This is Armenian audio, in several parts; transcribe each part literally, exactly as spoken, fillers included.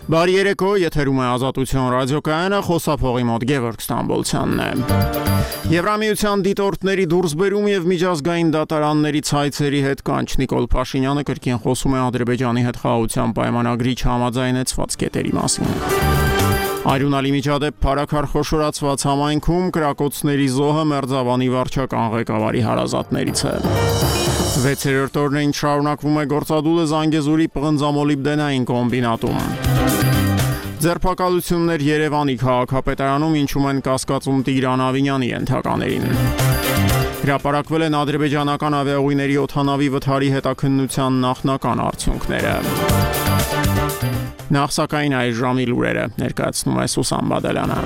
Բարի երեկո, եթերում է Ազատություն ռադիոկայանը, խոսափողի մոտ Գևորգ Ստամբոլցյանն է։ Եվրամիության դիտորդների դուրսբերում եւ միջազգային դատարանների ցայցերի հետ կանչ Նիկոլ Փաշինյանը կրկին խոսում է Ադրբեջանի հետ խաղաղության պայմանագրի չհամաձայնեցված կետերի մասին։ Արյունալի միջադեպ փարաքար խոշորացված համայնքում կրակոցների զոհը Մերձավանի վարչական ղեկավարի հարազատներից է։ վեցերորդ օրն ինչ շարունակվում է գործադուլը Զանգեզուրի պղնձամոլիբդենային կոմբինատում։ Ձերբակալություններ Երևանի քաղաքապետարանում ինչում են կասկածում Տիգրան Ավինյանի ենթականերին։ Հրապարակվել են ադրբեջանական ավիաուղիների օդանավի վթարի հետաքննության նախնական արդյունքները։ Նախ սակայն այս ժամի լուրերը ներկայացնում է Սուսան Բադալյանը։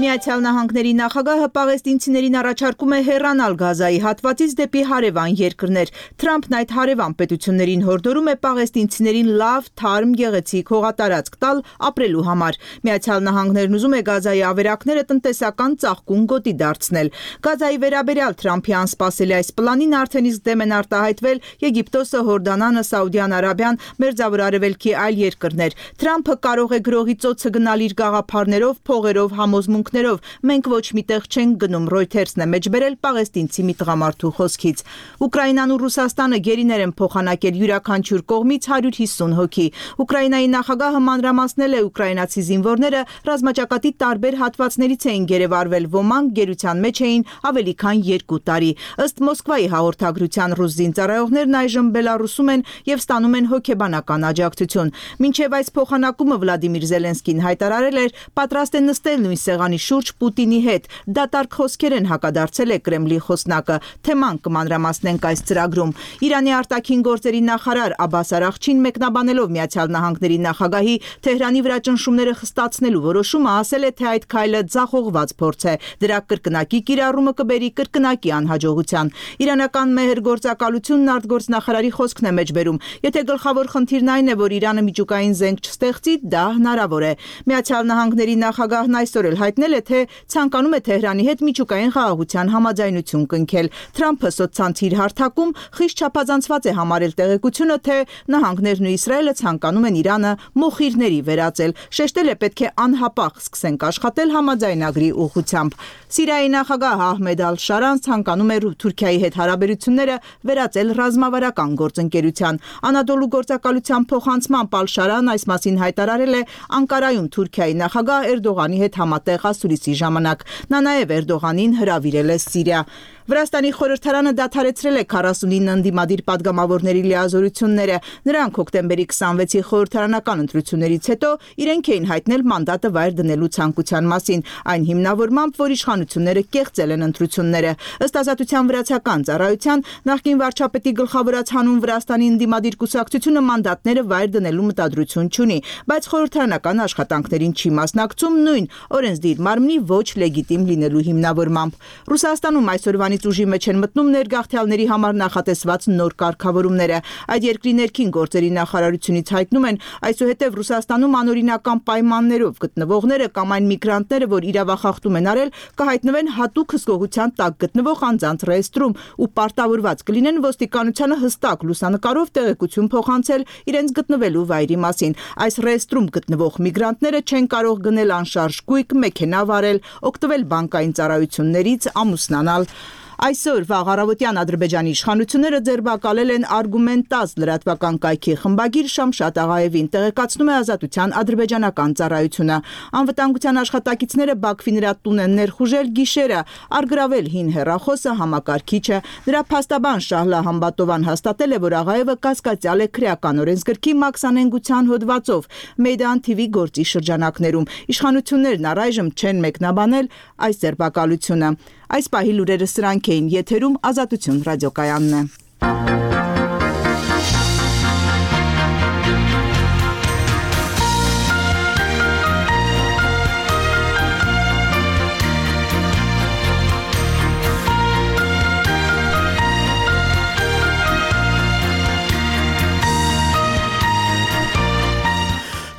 Միացյալ Նահանգների նախագահը պաղեստինցիներին առաջարկում է հեռանալ Գազայի հատվածից դեպի հարևան երկրներ։ Թրամփն այդ հարևան պետություններին հորդորում է պաղեստինցիներին լավ, թարմ, գեղեցիկ հողատարածք տալ ապրելու համար։ Միացյալ Նահանգներն ուզում է Գազայի ավերակները տնտեսական ծաղկուն գոտի դարձնել։ Գազայի վերաբերյալ Թրամփի անսպասելի այս պլանին արդեն իսկ դեմ են արտահայտվել Եգիպտոսը, Հորդանանը, Սաուդյան Արաբիան, Մերձավոր Արևելքի այլ երկրներ։ Թրամփը կարող է գրողի ծոցը գնալ իր գաղափարներով, փողերով, համոզմունքներով։ Մենք ոչ միտեղ չենք գնում, Reuters-ն է մեջբերել պաղեստինցի մի տղամարդու խոսքից։ Ուկրաինան ու Ռուսաստանը գերիներ են փոխանակել յուրաքանչյուր կողմից հարյուր հիսուն հոգի։ Ուկրաինայի նախագահը մանրամասնել է ուկրաինացի զինվորները ռազմաճակատի տարբեր հատվածներից էին գերեվարվել, ոմանք գերության մեջ էին ավելի քան երկու տարի։ Ըստ Մոսկվայի հաղորդագրության ռուս զինծառայողներն այժմ Բելարուսում են եւ ստանում են հոգեբանական աջակցություն։ Մինչեւ այս փոխանակումը Վլադիմիր Զելենսկին հայտարարել էր, պատրաստ է նստել նույն սեղանի շուրջ Պուտինի հետ։ Դատարկ խոսքեր են հակադարձել է Կրեմլի խոսնակը։ Թեման կմանրամասնենք այս ծրագրում։ Իրանի արտաքին գործերի նախարար Աբբաս Արաղչին մեկնաբանելով Միացյալ Նահանգների նախագահի Թեհրանի վրա ճնշումները խստացնելու որոշումը ասել է, թե այդ քայլը ձախողված փորձ է։ Դրա կրկնակի կիրառումը կբերի կրկնակի անհաջողության։ Իրանական մեհր գործակալությունն արտգործնախարարի խոսքն է մեջբերում։ Եթե գլխավոր խնդիրն այն է, որ Իրանը միջուկային զենք չստեղծի, դա հնարավոր է։ Միացյալ Նահանգների նախագահն այսօր էլ հայտնել է, թե ցանկանում է Թեհրանի հետ միջուկային խաղաղության համաձայնություն կնքել։ Թրամփը սոցցանցի իր հարթակում խիստ չափազանցված է համարել տեղեկությունը, թե նահանգներն ու Իսրայելը ցանկանում են Իրանը մոխիրների վերածել։ Շեշտել է, պետք է անհապաղ սկսենք աշխատել համաձայնագրի ուղղությամբ։ Սիրիայի նախագահ Ահմեդ Ալ-Շարան ցանկանում է Թուրքիայի հետ հարաբերությունները վերածել ռազմավարական գործընկերության։ Անադոլու գործակալության փոխանցմամբ Ալ-Շարան այս մասին հայտարարել է Անկարայում Թուրքիայի նախագահ Էրդողանի հետ համատեղ ասուլիսի ժամանակ։ Նա նաև Էրդողանին հրավիրել է Սիրիա։ Վրաստանի խորհրդարանը դադարեցրել է քառասունինը ընդդիմադիր падգամավորների լիազորությունները։ Նրանք հոկտեմբերի քսանվեցի խորհրդարանական ընտրություններից հետո իրենք էին հայտնել մանդատը վայր դնելու ցանկության մասին, այն հիմնավորմամբ, որ իշխանությունները կեղծել են ընտրությունները։ Ըստ Ազատության վրացական ծառայության նախկին վարչապետի գլխավորած հանուն Վրաստանի ընդդիմադիր կուսակցությունը մանդատները վայր դնելու մտադրություն չունի, բայց խորհրդարանական աշխատանքներին չի մասնակցում նույն օրենսդիր մարմնի ոչ լեգիտիմ լինելու հիմնավորմամբ։ Ռուսաստանում այսօրվանից ուժի մեջ են մտնում ներգաղթյալների համար նախատեսված նոր կարգավորումները։ Այդ երկրի ներքին գործերի նախարարությունից հայտնում են, այսուհետև Ռուսաստանում անօրինական պայմաններով գտնվողները կամ այն միգրանտները, որ իրավախախտում են արել, կհայտնվեն հատուկ հսկողության տակ գտնվող անձանց ռեեստրում ու պարտավորված կլինեն ոստիկանությանը հստակ լուսանկարով տեղեկություն փոխանցել իրենց գտնվելու վայրի մասին։ Այս ռեեստրում գտնվող միգրանտները չեն կարող գնել անշարժ գույք, մեքենա վարել, օգտվել բանկային ծառայություններից, ամուսնանալ։ Այսօր վաղ առավոտյան Ադրբեջանի իշխանությունները ձերբակալել են Արգումենտազ լրատվական կայքի խմբագիր Շամշատ Աղաևին, տեղեկացնում է Ազատության ադրբեջանական ծառայությունը։ Անվտանգության աշխատակիցները Բաքվի նրա տուն են ներխուժել գիշերը, առգրավել հին հեռախոսը, համակարգիչը։ Նրա փաստաբան Շահլա Համբատովան հաստատել է, որ Աղաևը կասկածյալ է քրեական օրենսգրքի մաքսանենգության հոդվածով Մեյդան թի վի գործի շրջանակներում։ Իշխանություններն առայժմ չեն մեկնաբանել այս ձերբակալությունը։ Այս պահի լուրերը սրանք էին, եթերում Ազատություն ռադիոկայանն է։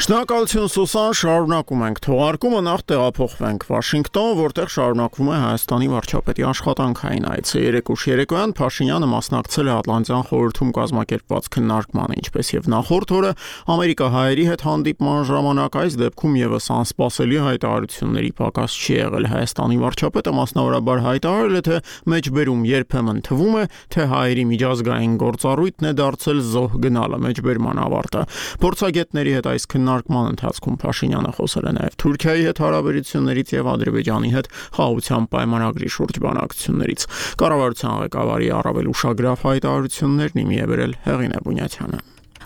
Շնորհակալություն Սուսան, շարունակում ենք թողարկումը, նախ տեղափոխվենք Վաշինգտոն, որտեղ շարունակվում է Հայաստանի վարչապետի աշխատանքային այցը։ Երեկուշ երեկոյան Փաշինյանը մասնակցել է Ատլանտյան խորհրդում կազմակերպված քննարկմանը, ինչպես եւ նախորդ օրը ամերիկահայերի հետ հանդիպման ժամանակ այս դեպքում եւս անսպասելի հայտարարությունների պակաս չի եղել։ Հայաստանի վարչապետը մասնավորաբար հայտարարել է, թե մեջբերում երբեմն թվում է, թե հայերի միջազգային գործառույթն է դարձել զոհ գնալը, մեջբերման ավարտը։ Փորձագետների հետ այս քննարկման ընթացքում Փաշինյանը խոսել է նաև Թուրքիայի հետ հարաբերություններից եւ Ադրբեջանի հետ խաղաղության պայմանագրի շուրջ բանակցություններից։ Կառավարության ղեկավարի առավել ուշագրավ հայտարարություններն իմի է բերել Հեղինե Բունյաթյանը։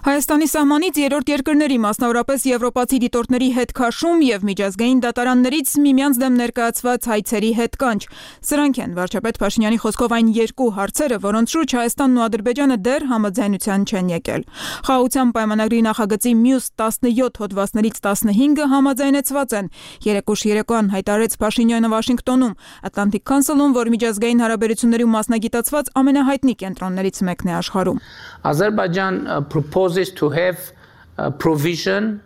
Հայաստանի սահմանից երրորդ երկրների, մասնավորապես եվրոպացի դիտորդների հետ քաշում եւ միջազգային դատարաններից միմյանց դեմ ներկայացված հայցերի հետ կանչ։ Սրանք են վարչապետ Փաշինյանի խոսքով այն երկու հարցերը, որոնց շուրջ Հայաստանն ու Ադրբեջանը դեռ համաձայնության չեն եկել։ Խաղաղության պայմանագրի նախագծի մյուս տասնյոթ հոդվածներից տասնհինգը համաձայնեցված են։ Երեկուշ երեկոյան հայտարարեց Փաշինյանը Վաշինգտոնում, Atlantic Council-ում, որ միջազգային հարաբերություններում մասնագիտացված ամենահայտնի կենտրոններից մեկն է աշխարհում։ Azerbaijan uh, proposes to have a provision.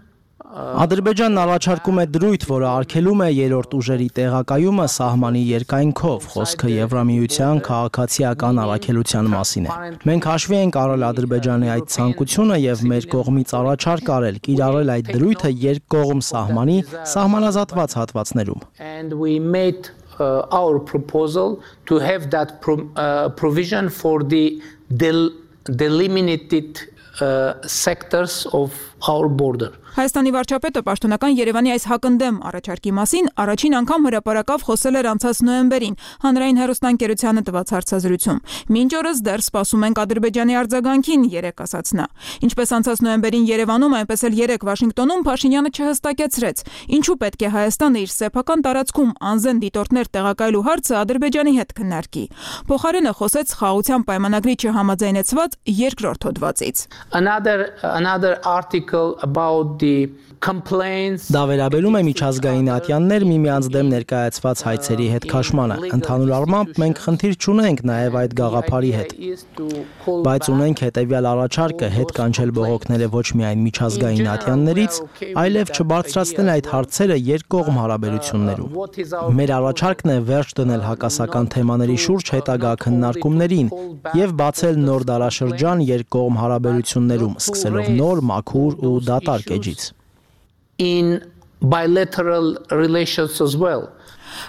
Ադրբեջանն առաջարկում է դրույթ, որը արգելում է երրորդ ուժերի տեղակայումը սահմանի երկայնքով, խոսքը Եվրամիության քաղաքացիական առաքելության մասին է։ Մենք հաշվի ենք առել Ադրբեջանի այդ ցանկությունը եւ մեր կողմից առաջարկ արել կիրառել այդ դրույթը երկկողմ սահմանի սահմանազատված հատվածներում։ And we made uh, our proposal to have that pro uh, provision for the del delimited uh, sectors of our border. Հայաստանի վարչապետը պաշտոնական Երևանի այս հակընդդեմ առաջարկի մասին առաջին անգամ հրապարակավ խոսել էր անցած նոյեմբերին հանրային հեռուստաընկերությանը տված հարցազրույցում։ Մինչ օրս դեռ սպասում ենք Ադրբեջանի արձագանքին, երեկ ասաց նա։ Ինչպես անցած նոյեմբերին Երևանում, այնպես էլ երեկ Վաշինգտոնում Փաշինյանը չհստակեցրեց, ինչու պետք է Հայաստանը իր սեփական տարածքում անզեն դիտորդներ տեղակայելու հարցը Ադրբեջանի հետ քննարկի։ Փոխարենը խոսեց խաղաղության պայմանագրի չհամաձայնեցված երկրորդ հոդվածից։ Another another article about Դա վերաբերում է միջազգային ատյաններ միմյանց դեմ ներկայացված հայցերի հետ քաշմանը։ Ընդհանուր առմամբ մենք խնդիր չունենք նաև այդ գաղափարի հետ, բայց ունենք հետևյալ առաջարկը՝ հետ կանչել բողոքները ոչ միայն միջազգային ատյաններից, այլև չբարձրացնել այդ հարցերը երկկողմ հարաբերություններում։ Մեր առաջարկն է վերջ դնել հակասական թեմաների շուրջ հետագա քննարկումներին եւ բացել նոր դարաշրջան երկկողմ հարաբերություններում, սկսելով նոր, մաքուր ու դատարկ էջից։ In bilateral relations as well.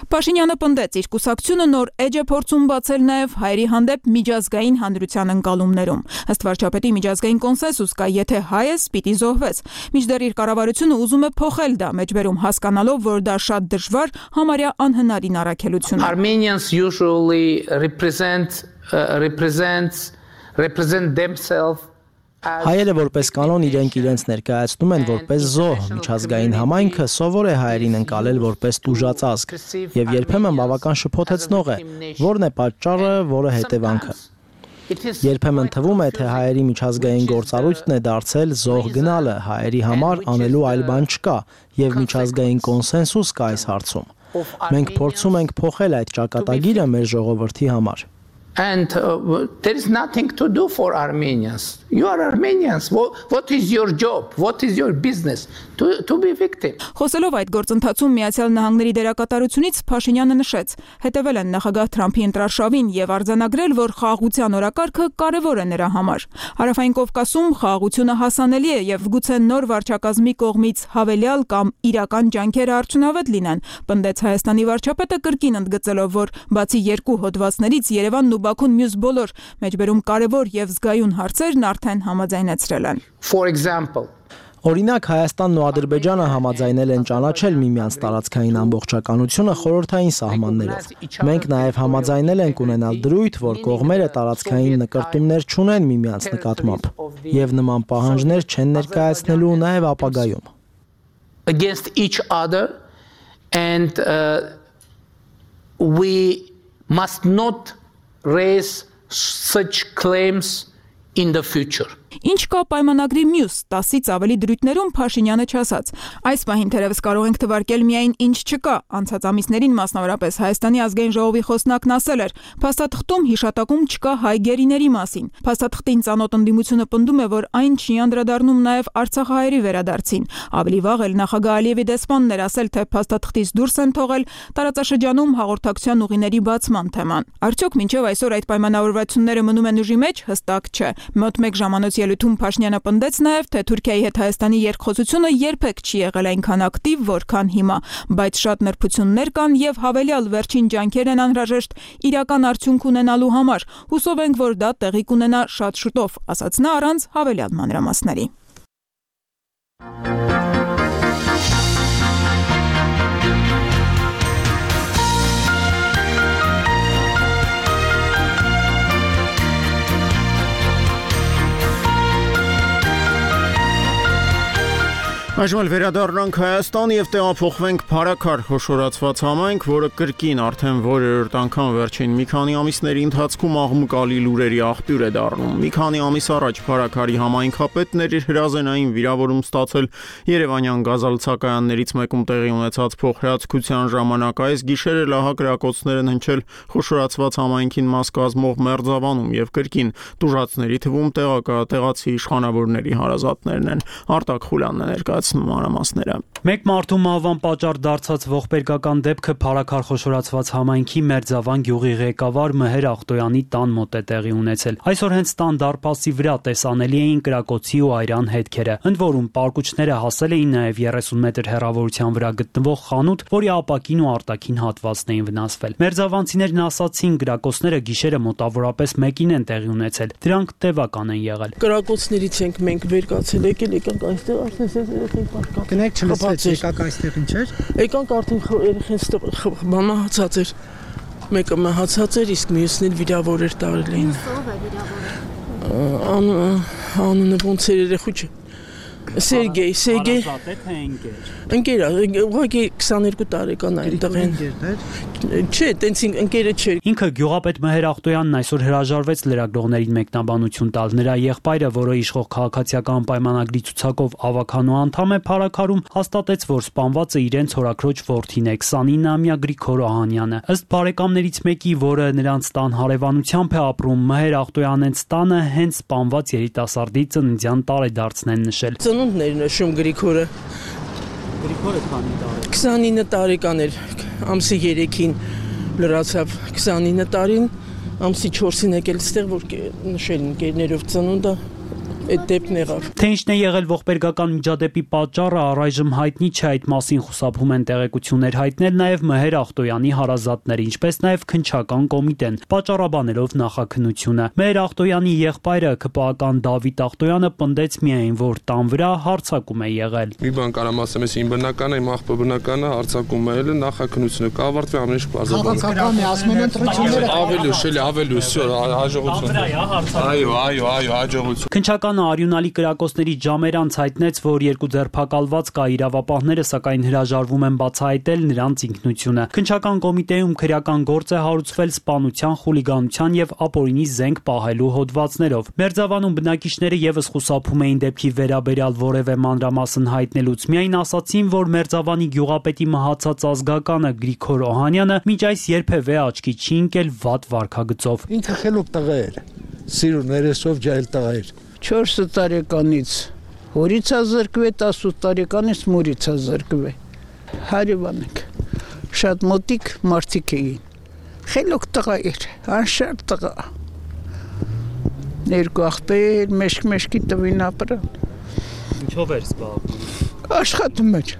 Փաշինյանը պնդեց, իր կուսակցությունը նոր էջ է փորձում բացել նաև հայերի հանդեպ միջազգային հանրության ընկալումներում։ Ըստ վարչապետի միջազգային կոնսենսուս կա, եթե հայ ես, պիտի զոհվես։ Մինչդեռ իր կառավարությունը ուզում է փոխել դա, մեջբերում հասկանալով, որ դա շատ դժվար, համարյա անհնարին առաքելություն է։ Armenians usually represent uh, represents represent themselves. Հայերը որպես կանոն իրենք իրենց ներկայացնում են որպես զոհ, միջազգային համայնքը սովոր է հայերին ընկալել որպես տուժածազգ եւ երբեմն բավական շփոթեցնող է, որն է պատճառը, որը հետևանքը։ Երբեմն թվում է, թե հայերի միջազգային գործառույթն է դարձել զոհ գնալը, հայերի համար անելու այլ բան չկա եւ միջազգային կոնսենսուս կա այս հարցում։ Մենք փորձում ենք փոխել այդ ճակատագիրը մեր ժողովրդի համար։ And uh, there is nothing to do for Armenians. You are Armenians. What, what is your job? What is your business? To, to be victim. Խոսելով այդ գործընթացում Միացյալ Նահանգների դերակատարությունից Փաշինյանը նշեց. հետևել են նախագահ Թրամփի ընտրարշավին եւ արձանագրել, որ խաղաղության օրակարգը կարեւոր է նրա համար։ Հարավային Կովկասում խաղաղությունը հասանելի է եւ գուցե նոր վարչակազմի կողմից հավելյալ կամ իրական ջանքերը արդյունավետ լինեն, պնդեց Հայաստանի վարչապետը կրկին ընդգծելով, որ բացի երկու հոդվածներից Երևանն ու Բաքուն մյուս բոլոր մեջբերում կարևոր եւ զգայուն հարցերն արդեն համաձայնեցրել են։ For example, Օրինակ Հայաստանն ու Ադրբեջանը համաձայնել են ճանաչել միմյանց տարածքային ամբողջականությունը խորհրդային սահմաններով։ Մենք նաև համաձայնել ենք ունենալ դրույթ, որ կողմերը տարածքային նկրտումներ չունեն միմյանց նկատմամբ եւ նման պահանջներ չեն ներկայացնելու նաև ապագայում։ Against each other and uh, we must not raise such claims in the future. Ինչ կա պայմանագրի մյուս տասից ավելի դրույթներում, Փաշինյանը չասաց։ Այս պահին թերևս կարող ենք թվարկել միայն ինչ չկա։ Անցած ամիսներին մասնավորապես Հայաստանի ազգային ժողովի խոսնակն ասել էր. փաստաթղթում հիշատակում չկա հայ գերիների մասին։ Փաստաթղթին ծանոթ ընդդիմությունը պնդում է, որ այն չի անդրադառնում նաև արցախահայերի վերադարձին։ Ավելի վաղ էլ նախագահ Ալիևի դեսպանն էր ասել, թե փաստաթղթից դուրս են թողել տարածաշրջանում հաղորդակցության ուղիների բացման թեման։ Արդյոք մինչև այսօր այդ պայմանավորվածությունները մնում են ուժի մեջ, հստակ չէ։ Մոտ մեկ ժամանոց ելույթում Փաշինյանը պնդեց նաև, թե Թուրքիայի հետ Հայաստանի երկխոսությունը երբեք չի եղել այնքան ակտիվ, որքան հիմա, բայց շատ նրբություններ կան եւ հավելյալ վերջին ջանքեր են անհրաժեշտ իրական արդյունք ունենալու համար։ Հուսով ենք, որ դա տեղի կունենա շատ շուտով, ասաց նա առանց հավելյալ մանրամասների։ Այժմ էլ վերադառնանք Հայաստան եւ տեղափոխվենք Փարաքար խոշորացված համայնք, որը կրկին արդեն որերորդ անգամ վերջին մի քանի ամիսների ընթացքում աղմկալի լուրերի աղբյուր է դառնում։ Մի քանի ամիս առաջ Փարաքարի համայնքապետն էր իր հրազենային վիրավորում ստացել Երևանյան գազալցակայաններից մեկում տեղի ունեցած փոխհրացքության ժամանակ։ Այս գիշերը լահակ գրակոծներ են հնչել խոշորացված համայնքին մաս կազմող Մերձավանում եւ կրկին տուժածների թվում տեղացի իշխանավորների հարազատներն են։ Արտակ Խուլյանն է ներկայացնում մանրամասները։ Մեկ մարդու մահվան պատճառ դարձած ողբերգական դեպքը Փարաքար խոշորացված համայնքի Մերձավան գյուղի ղեկավար Մհեր Ախտոյանի տան մոտ է տեղի ունեցել։ Այսօր հենց տան դարպասի վրա տեսանելի էին կրակոցի ու այրան հետքերը, ընդ որում պարկուճները հասել էին նաև երեսուն մետր հեռավորության վրա գտնվող խանութ, որի ապակին ու արտաքին հատվածն էին վնասվել։ Մերձավանցիներն ասացին, կրակոցները գիշերը մոտավորապես մեկին են տեղի ունեցել։ Դրանք տևական են եղել։ Կրակոցներից ենք մենք վեր կացել, եկել եկանք այստեղ արդեն Կնեք չլսվեց, եկաք այստեղ ինչեր։ Եկանք արդեն երեխեն մամա հացած էր։ Մեկը մահացած էր, իսկ մյուսն էլ վիրավոր էր տարել էին։ Անունը ոնց էր երեխու չէ։ Սերգեյ, Սերգեյ։ Ընկեր, ուղղակի քսաներկու տարեկան այնտեղ են։ Չէ, տենց ընկերը չէր։ Ինքը գյուղապետ Մհեր Ախտոյանն այսօր հրաժարվեց լրագրողներին մեկնաբանություն տալ։ Նրա եղբայրը, որը իշխող քաղաքացիական պայմանագրի ցուցակով ավականու անդամ է Փարաքարում, հաստատեց, որ սպանվածը իրենց հորաքրոջ որդին է, քսանինամյա Գրիգոր Օհանյանը։ Ըստ բարեկամներից մեկի, որը նրանց տան հարևանությամբ է ապրում, Մհեր Ախտոյանենց տանը հենց սպանված երիտասարդի ծննդյան տարեդարձն են նշել։ Ծնունդն էր նշում Գրիգորը։ Գրիգորը քանի տարեկան։ քսանինը տարեկան էր, ամսի երեքին լրացավ քսանինը տարին, ամսի չորսին եկել ստեղ, որ նշել ընկերներով ծնունդը, այդ դեպքն եղավ։ Թե ինչն է եղել ողբերգական միջադեպի պատճառը առայժմ հայտնի չէ, այդ մասին խուսափում են տեղեկություններ հայտնել նաև Մհեր Ախտոյանի հարազատները, ինչպես նաև քննչական կոմիտեն, պատճառաբանելով նախաքննությունը։ Մհեր Ախտոյանի եղբայրը ԿՊԱ-ական Դավիթ Ախտոյանը պնդեց միայն, որ տան վրա հարձակում է եղել։ Մի բան կարամ ասեմ, ես իմ բնական եմ, աղբը բնականը հարձակում է եղել, նախաքննությունը կավարտվի ամեն ինչ բարձրաբանել։ Քաղաքական է, ասում են ընտրությունները ավելի ուշ, էլի ավելի ուշ, հաջողություն։ Այո, այո, այո, հաջողություն։ Քննչական արյունալի կրակոցների ժամեր անց հայտնեց, որ երկու ձերբակալված կա իրավապահները, սակայն հրաժարվում են բացահայտել նրանց ինքնությունը։ Քննչական կոմիտեում քրեական գործ է հարուցվել սպանության, խուլիգանության եւ ապօրինի զենք պահելու հոդվածներով։ Մերձավանում բնակիչները եւս խուսափում էին դեպքի վերաբերյալ որևէ մանրամասն հայտնելուց, միայն ասացին, որ Մերձավանի գյուղապետի մահացած ազգականը Գրիգոր Օհանյանը մինչ այս երբևէ աչքի չի ընկել վատ վարքագծով։ Ինքը խելոք տղա էր, սիրուն ներեսով ջահել տղա էր։ չորս տարեկանից հորից է զրկվել, տասութ տարեկանից մորից է զրկվել։ Հարևան ենք, շատ մոտիկ մարդիկ էին։ Խելոք տղա էր, անշարժ տղա։ Երկու աղբեր, մեշք-մեշքի տվին ապրան։ Ինչով էր զբաղվում։ Աշխատում էր։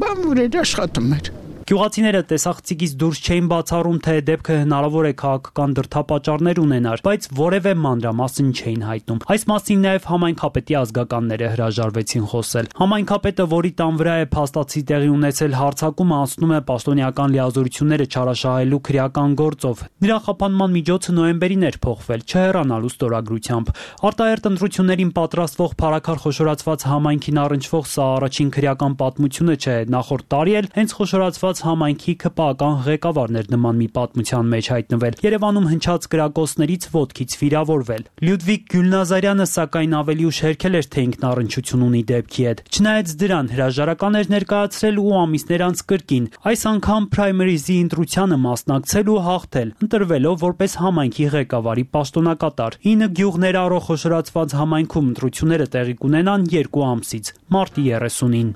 Բան որ էր աշխատում էր։ Գյուղացիները տեսախցիկից դուրս չէին բացառում, թե դեպքը հնարավոր է քաղաքական դրդապատճառներ ունենար, բայց որևէ մանրամասն չէին հայտնում։ Այս մասին նաև համայնքապետի ազգականները հրաժարվեցին խոսել։ Համայնքապետը, որի տան վրա է փաստացի տեղի ունեցել հարձակումը, անցնում է պաշտոնյական լիազորությունները չարաշահելու քրեական գործով։ Նրա խափանման միջոցը նոյեմբերին էր փոխվել, չհեռանալու ստորագրությամբ։ Արտահերտ ընտրություններին պատրաստվող Փարաքար խոշորացված համայնքին առնչվող սա առաջին քրեական պատմությունը չէ։ Նախորդ տարի էլ հենց խոշորացված կառուցված համայնքի քպական ղեկավարներ նման մի պատմության մեջ հայտնվել, Երևանում հնչած կրակոցներից ոտքից վիրավորվել։ Լյուդվիգ Գյուլնազարյանը սակայն ավելի ուշ հերքել էր, թե ինքն առնչություն ունի դեպքի հետ։ Չնայած դրան հրաժարական էր ներկայացրել ու ամիսներ անց կրկին, այս անգամ պրայմերիզի ընտրությանը մասնակցել ու հաղթել, ընտրվելով որպես համայնքի ղեկավարի պաշտոնակատար։ ինը գյուղներ առոխոշորացված համայնքում ընտրությունները տեղի կունենան երկու ամսից, մարտի երեսունին։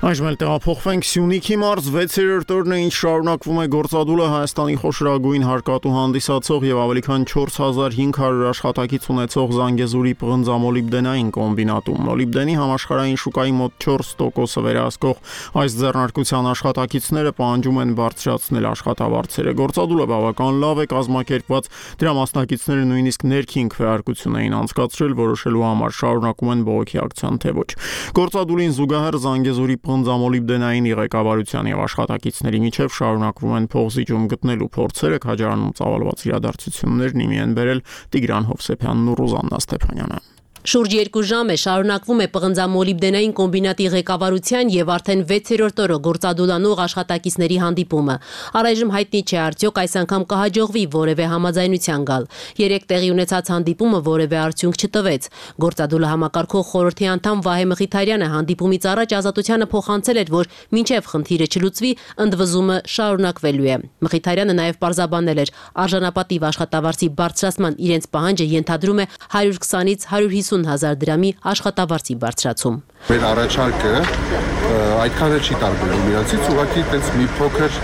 Այժմ էլ տեղափոխվենք Սյունիքի մարզ վեցերորդ օրն է, ինչ շարունակվում է գործադուլը Հայաստանի խոշորագույն հարկատու հանդիսացող եւ ավելի քան չորս հազար հինգ հարյուր աշխատակից ունեցող Զանգեզուրի պղնձամոլիբդենային կոմբինատում։ Մոլիբդենի համաշխարհային շուկայի մոտ չորս տոկոսը վերահսկող այս ձեռնարկության աշխատակիցները պահանջում են բարձրացնել աշխատավարձերը։ Գործադուլը բավական լավ է կազմակերպված, դրա մասնակիցները նույնիսկ ներքին քվեարկություն էին անցկացրել, որոշելու համար շարունակում են բողոքի ակցիան թե ոչ։ Գործադուլին զուգահեռ Զանգեզուրի պղնձամոլիբդենային ղեկավարության եւ աշխատակիցների միջև շարունակվում են փողզիջում գտնելու փորձերը, քաջարանում ծավալված իրադարձություններն իմի են բերել Տիգրան Հովսեփյանն ու Ռուզաննա Ստեփանյանը։ Շուրջ երկու ժամ է շարունակվում է պղնձամոլիբդենային կոմբինատի ղեկավարության եւ արդեն վեցերորդ օրը գործադուլանող աշխատակիցների հանդիպումը։ Առայժմ հայտնի չէ արդյոք այս անգամ կհաջողվի որևէ համաձայնության գալ։ Երեք տեղի ունեցած հանդիպումը որևէ արդյունք չտվեց։ Գործադուլը համակարգող խորհրդի անդամ Վահե Մխիթարյանը հանդիպումից առաջ Ազատությանը փոխանցել էր, որ մինչև խնդիրը չլուծվի, ընդվզումը շարունակվելու է։ Մխիթարյանը նաեւ պարզաբանել էր, արժանապատիվ աշխատավարձի բարձրացման իրենց պահանջը ենթադրում է հարյուր քսանից հարյուր հիսուն հազար դրամի աշխատավարձի բարձրացում։ Մեր առաջարկը այդքան էլ չի տարբերվում իրացից, ուղղակի այդպես մի փոքր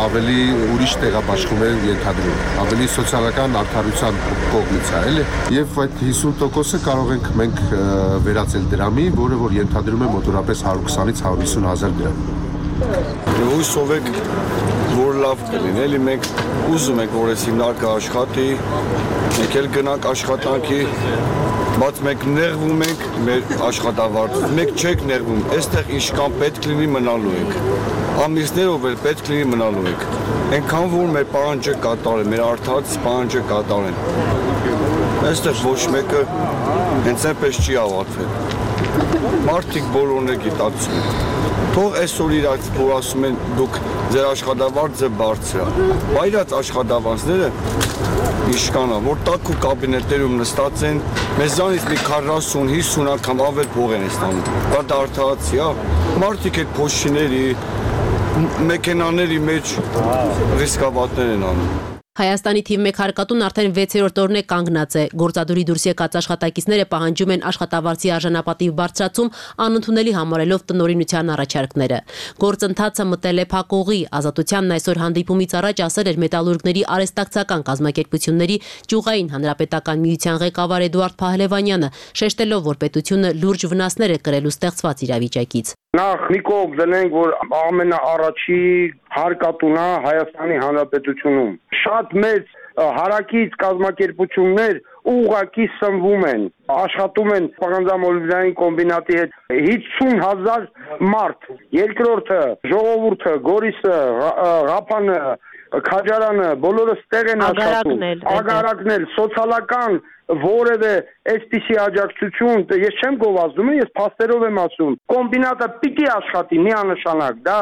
ավելի ուրիշ տեղաբաշխում է ենթադրում, ավելի սոցիալական արդարության կողմից է, էլի։ Եվ այդ հիսուն տոկոսը կարող ենք մենք վերածել դրամի, որը որ ենթադրում է մոտավորապես հարյուր քսանից հարյուր հիսուն հազար դրամ։ Հույսով եք, որ լավ կլինի, էլի մենք ուզում ենք, որ այս հիմնարկը աշխատի, մենք էլ գնանք աշխատանքի, բայց մենք նեղվում ենք մեր աշխատավարձով, մենք չենք նեղվում, այստեղ ինչքան պետք լինի մնալու ենք, ամիսներով էլ պետք լինի մնալու ենք, այնքան որ մեր պահանջը կատարեն, մեր արդարացի պահանջը կատարեն, այստեղ ոչ մեկը հենց այնպես չի ավարտվել, մարդիկ բոլորն է գիտակցում են, թող այսօր իրաց որ ասում են դուք ձեր աշխատավարձը բարձր է, բայց աշխատավարձները Իշկանա, որ տաքու կաբինետերում նստած են, մեզանից մի քառասուն հիսուն անգամ ավել փող են ստանում։ Դա արդարացի, հա, մարդիկ այդ փոշիների, մեքենաների մեջ ռիսկաբատներ են անում։ Հայաստանի թիվ մեկ հարկատուն արդեն վեցերորդ օրն է կանգնած է։ Գործադուլի դուրս եկած աշխատակիցները պահանջում են աշխատավարձի արժանապատիվ բարձրացում, անընդունելի համարելով տնօրինության առաջարկները։ Գործընթացը մտել է փակողի։ Ազատությանն այսօր հանդիպումից առաջ ասել էր Մետալուրգների արհեստակցական կազմակերպությունների ճյուղային հանրապետական միության ղեկավար Էդուարդ Փահլևանյանը, շեշտելով, որ պետությունը լուրջ վնասներ է կրելու ստեղծված իրավիճակից։ Նախ մի կողմ դնենք, որ ամենաառաջի հարկատունը Հայաստանի Հանրապետությունում շատ մեծ հարակից կազմակերպություններ ուղղակի սնվում են, աշխատում են պղնձամոլիբդենային կոմբինատի հետ հիսուն հազար մարդ, երկրորդը, ժողովուրդը, Գորիսը, Ղափանը, Քաջարանը, բոլորը ստեղ են աշխատում, ագարակնել, սոցիալական որևէ այսպիսի աջակցություն, ես չեմ գովազդում, ես փաստերով եմ ասում, կոմբինատը պիտի աշխատի միանշանակ, դա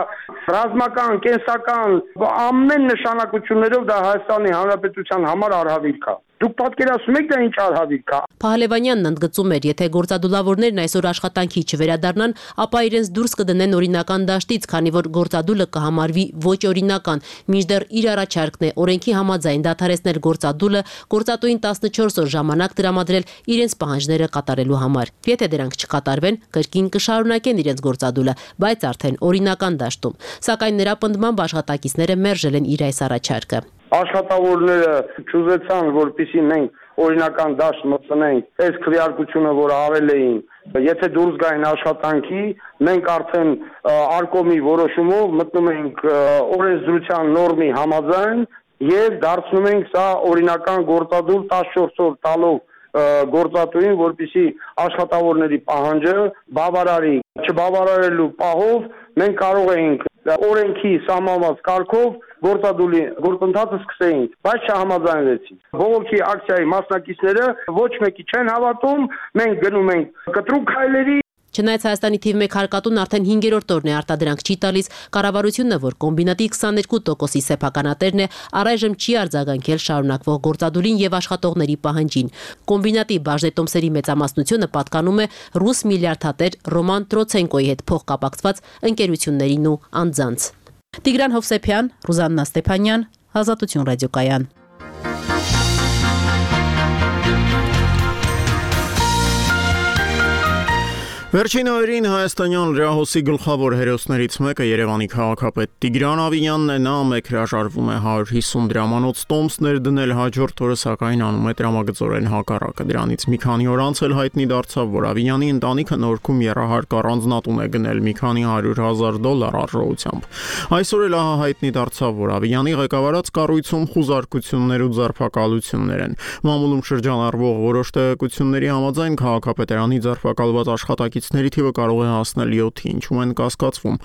ռազմական, կենսական, ամեն նշանակություններով դա Հայաստանի Հանրապետության համար արհավիրք է։ Դուք պատկերացնում եք դա ինչ արհավիրք է։ Փահլևանյանն ընդգծում էր, եթե գործադուլավորներն այսօր աշխատանքի չվերադառնան, ապա իրենց դուրս կդնեն օրինական դաշտից, քանի որ գործադուլը կհամարվի ոչ օրինական, մինչդեռ իր առաջարկն է օրենքի համաձայն դադարեցնել գործադուլը, գործատուին տասնչորս օր ժամանակ տրամադրել իրենց պահանջները կատարելու համար։ Եթե դրանք չկատարվեն, կրկին կշարունակեն իրենց գործադուլը, բայց արդեն օրինական դաշտում։ Սակայն նրա պնդմամբ աշխատակիցները մերժել են իր այս առաջարկը։ Աշխատավորները չուզեցան, որպեսզի մենք օրինական դաշտ մտցնենք, այս քվեարկությունը, որ արել էին, եթե դուրս գային աշխատանքի, մենք արդեն արկոմի որոշումով մտնում ենք օրենսդրության նորմի համաձայն եւ դարձնում ենք սա օրինական գործադուլ տասնչորս օր տալով գործատուին, որպեսզի աշխատավորների պահանջը բավարարի, չբավարարելու պահով մենք կարող ենք օրենքի սահմանված կարգով գործադուլի գործընթացը սկսեինք, բայց չհամաձայնվեցին։ Բողոքի ակցիայի մասնակիցները ոչ մեկի չեն հավատում, մենք գնում ենք կտրուկ քայլերի։ Չնայած Հայաստանի թիվ մեկ հարկատուն արդեն հինգերորդ օրն է արտադրանք չի տալիս, կառավարությունը, որ կոմբինատի քսաներկու տոկոսի սեփականատերն է, առայժմ չի արձագանքել շարունակվող գործադուլին եւ աշխատողների պահանջին։ Կոմբինատի բաժնետոմսերի մեծամասնությունը պատկանում է ռուս միլիարդատեր Ռոման Տրոցենկոյի հետ փոխկապակցված ընկերություններին ու անձանց։ Տիգրան Հովսեփյան, Ռուզաննա Ստեփանյան, Ազատություն ռադիոկայան։ Վերջին օրերին հայաստանյան լրահոսի գլխավոր հերոսներից մեկը Երևանի քաղաքապետ Տիգրան Ավինյանն է, նա մեկ հրաժարվում է հարյուր հիսուն դրամանոց տոմս ներդնել, հաջորդ օրը սակայն անում է տրամագծորեն հակառակը։ Դրանից մի քանի օր անց էլ հայտնի դարձավ, որ Ավինյանի ընտանիքը Նորքում եռահարկ առանձնատուն է գնել մի քանի հարյուր հազար դոլար արժողությամբ։ Այսօր էլ ահա հայտնի դարձավ, որ Ավինյանի ղեկավարած կառույցում խուզարկություններ ու ձերբակալություններ են։ Մամուլում շրջանառվող որոշ տեղեկությունների համաձայն քաղաքապետարանի ձերբակալված աշխատակիցների թիվը կարող է հասնել յոթի, ինչում են կասկածվում։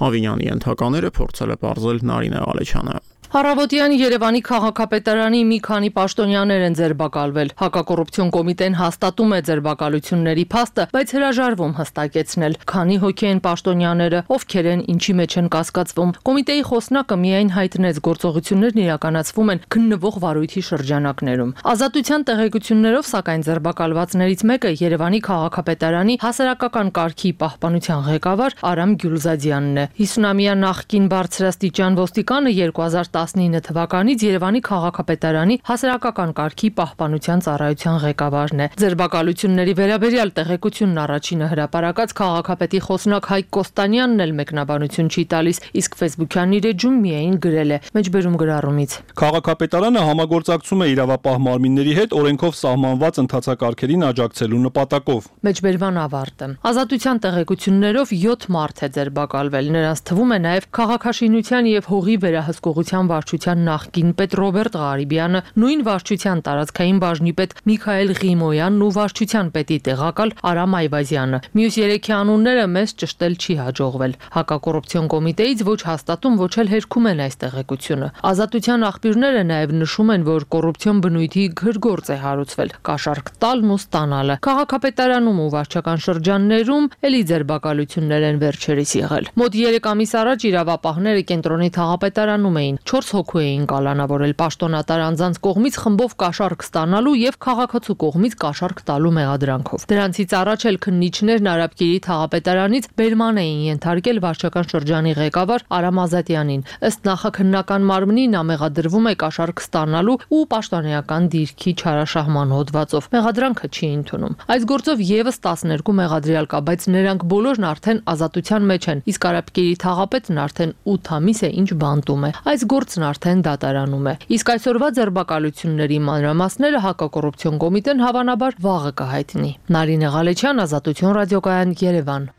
Ավինյանի ենթակաները փորձել է պարզել Նարինե Ղալեչյանը։ Առավոտյան Երևանի քաղաքապետարանի մի քանի պաշտոնյաներ են ձերբակալվել։ Հակակոռուպցիոն կոմիտեն հաստատում է ձերբակալությունների փաստը, բայց հրաժարվում հստակեցնել, քանի հոգի են պաշտոնյաները, ովքեր են, ինչի մեջ են կասկածվում։ Կոմիտեի խոսնակը միայն հայտնեց, գործողություններն իրականացվում են քննվող վարույթի շրջանակներում։ Ազատության տեղեկություններով, սակայն ձերբակալվածներից մեկը Երևանի քաղաքապետարանի հասարակական կարգի պահպանության ղեկավար Արամ Գյուլզադյանն է։ հիսունամյա նախկին բարձրաստիճան ոստիկանը երկու հազար տասնինը թվականից Երևանի քաղաքապետարանի հասարակական կարգի պահպանության ծառայության ղեկավարն է։ Ձերբակալությունների վերաբերյալ տեղեկությունն առաջինը հրապարակած քաղաքապետի խոսնակ Հայկ Կոստանյանն էլ մեկնաբանություն չի տալիս, իսկ Facebook-յան իր էջում միայն գրել է մեջբերում գրառումից։ Քաղաքապետարանը համագործակցում է իրավապահ մարմինների հետ օրենքով սահմանված ընթացակարգերին աջակցելու նպատակով։ Մեջբերման ավարտը։ Ազատության տեղեկություններով յոթ մարդ է ձերբակալվել։ Նրանց թվում է նաև քաղաքաշինության եւ հողի վերահսկողության վարչության նախկին պետ Ռոբերտ Ղարիբյանը, նույն վարչության տարածքային բաժնի պետ Միքայել Ղիմոյանն ու վարչության պետի տեղակալ Արամ Այվազյանը։ Մյուս երեքի անունները մեզ ճշտել չի հաջողվել։ Հակակոռուպցիոն կոմիտեից ոչ հաստատում, ոչ էլ հերքում են այս տեղեկությունը։ Ազատության աղբյուրները նաև նշում են, որ կոռուպցիոն բնույթի գրգործ է հարուցվել, կաշառք տալն ու ստանալը։ Քաղաքապետարանում ու վարչական շրջաններում էլի ձերբակալություններ են վերջերս եղել։ Մոտ երեք ամիս առաջ իրավապահները կենտրոնի թաղապետարանում էին չորս հոգու էին կալանավորել պաշտոնատար անձանց կողմից խմբով կաշառք ստանալու եւ քաղաքացու կողմից կաշառք տալու մեղադրանքով։ Դրանցից առաջ էլ քննիչներն Արաբկիրի թաղապետարանից բերման էին ենթարկել վարչական շրջանի ղեկավար Արամ Ազատյանին։ Ըստ նախաքննական մարմնի նա մեղադրվում է կաշառք ստանալու ու պաշտոնեական դիրքի չարաշահման հոդվածով։ Մեղադրանքը չի ընդունում։ Այս գործով եւս տասներկու մեղադրյալ կա, բայց նրանք բոլորն արդեն ազատության մեջ են, իսկ Արաբկիրի թաղապետն արդեն ութ ամիս է ինչ բանտում է։ Այս գործն արդեն դատարանում է։ Իսկ այսօրվա ձերբակալությունների մանրամասները հակակոռուպցիոն կոմիտեն հավանաբար վաղը կհայտնի։ Նարինե Ղալեչյան, Ազատություն ռադիոկայան, Երևան։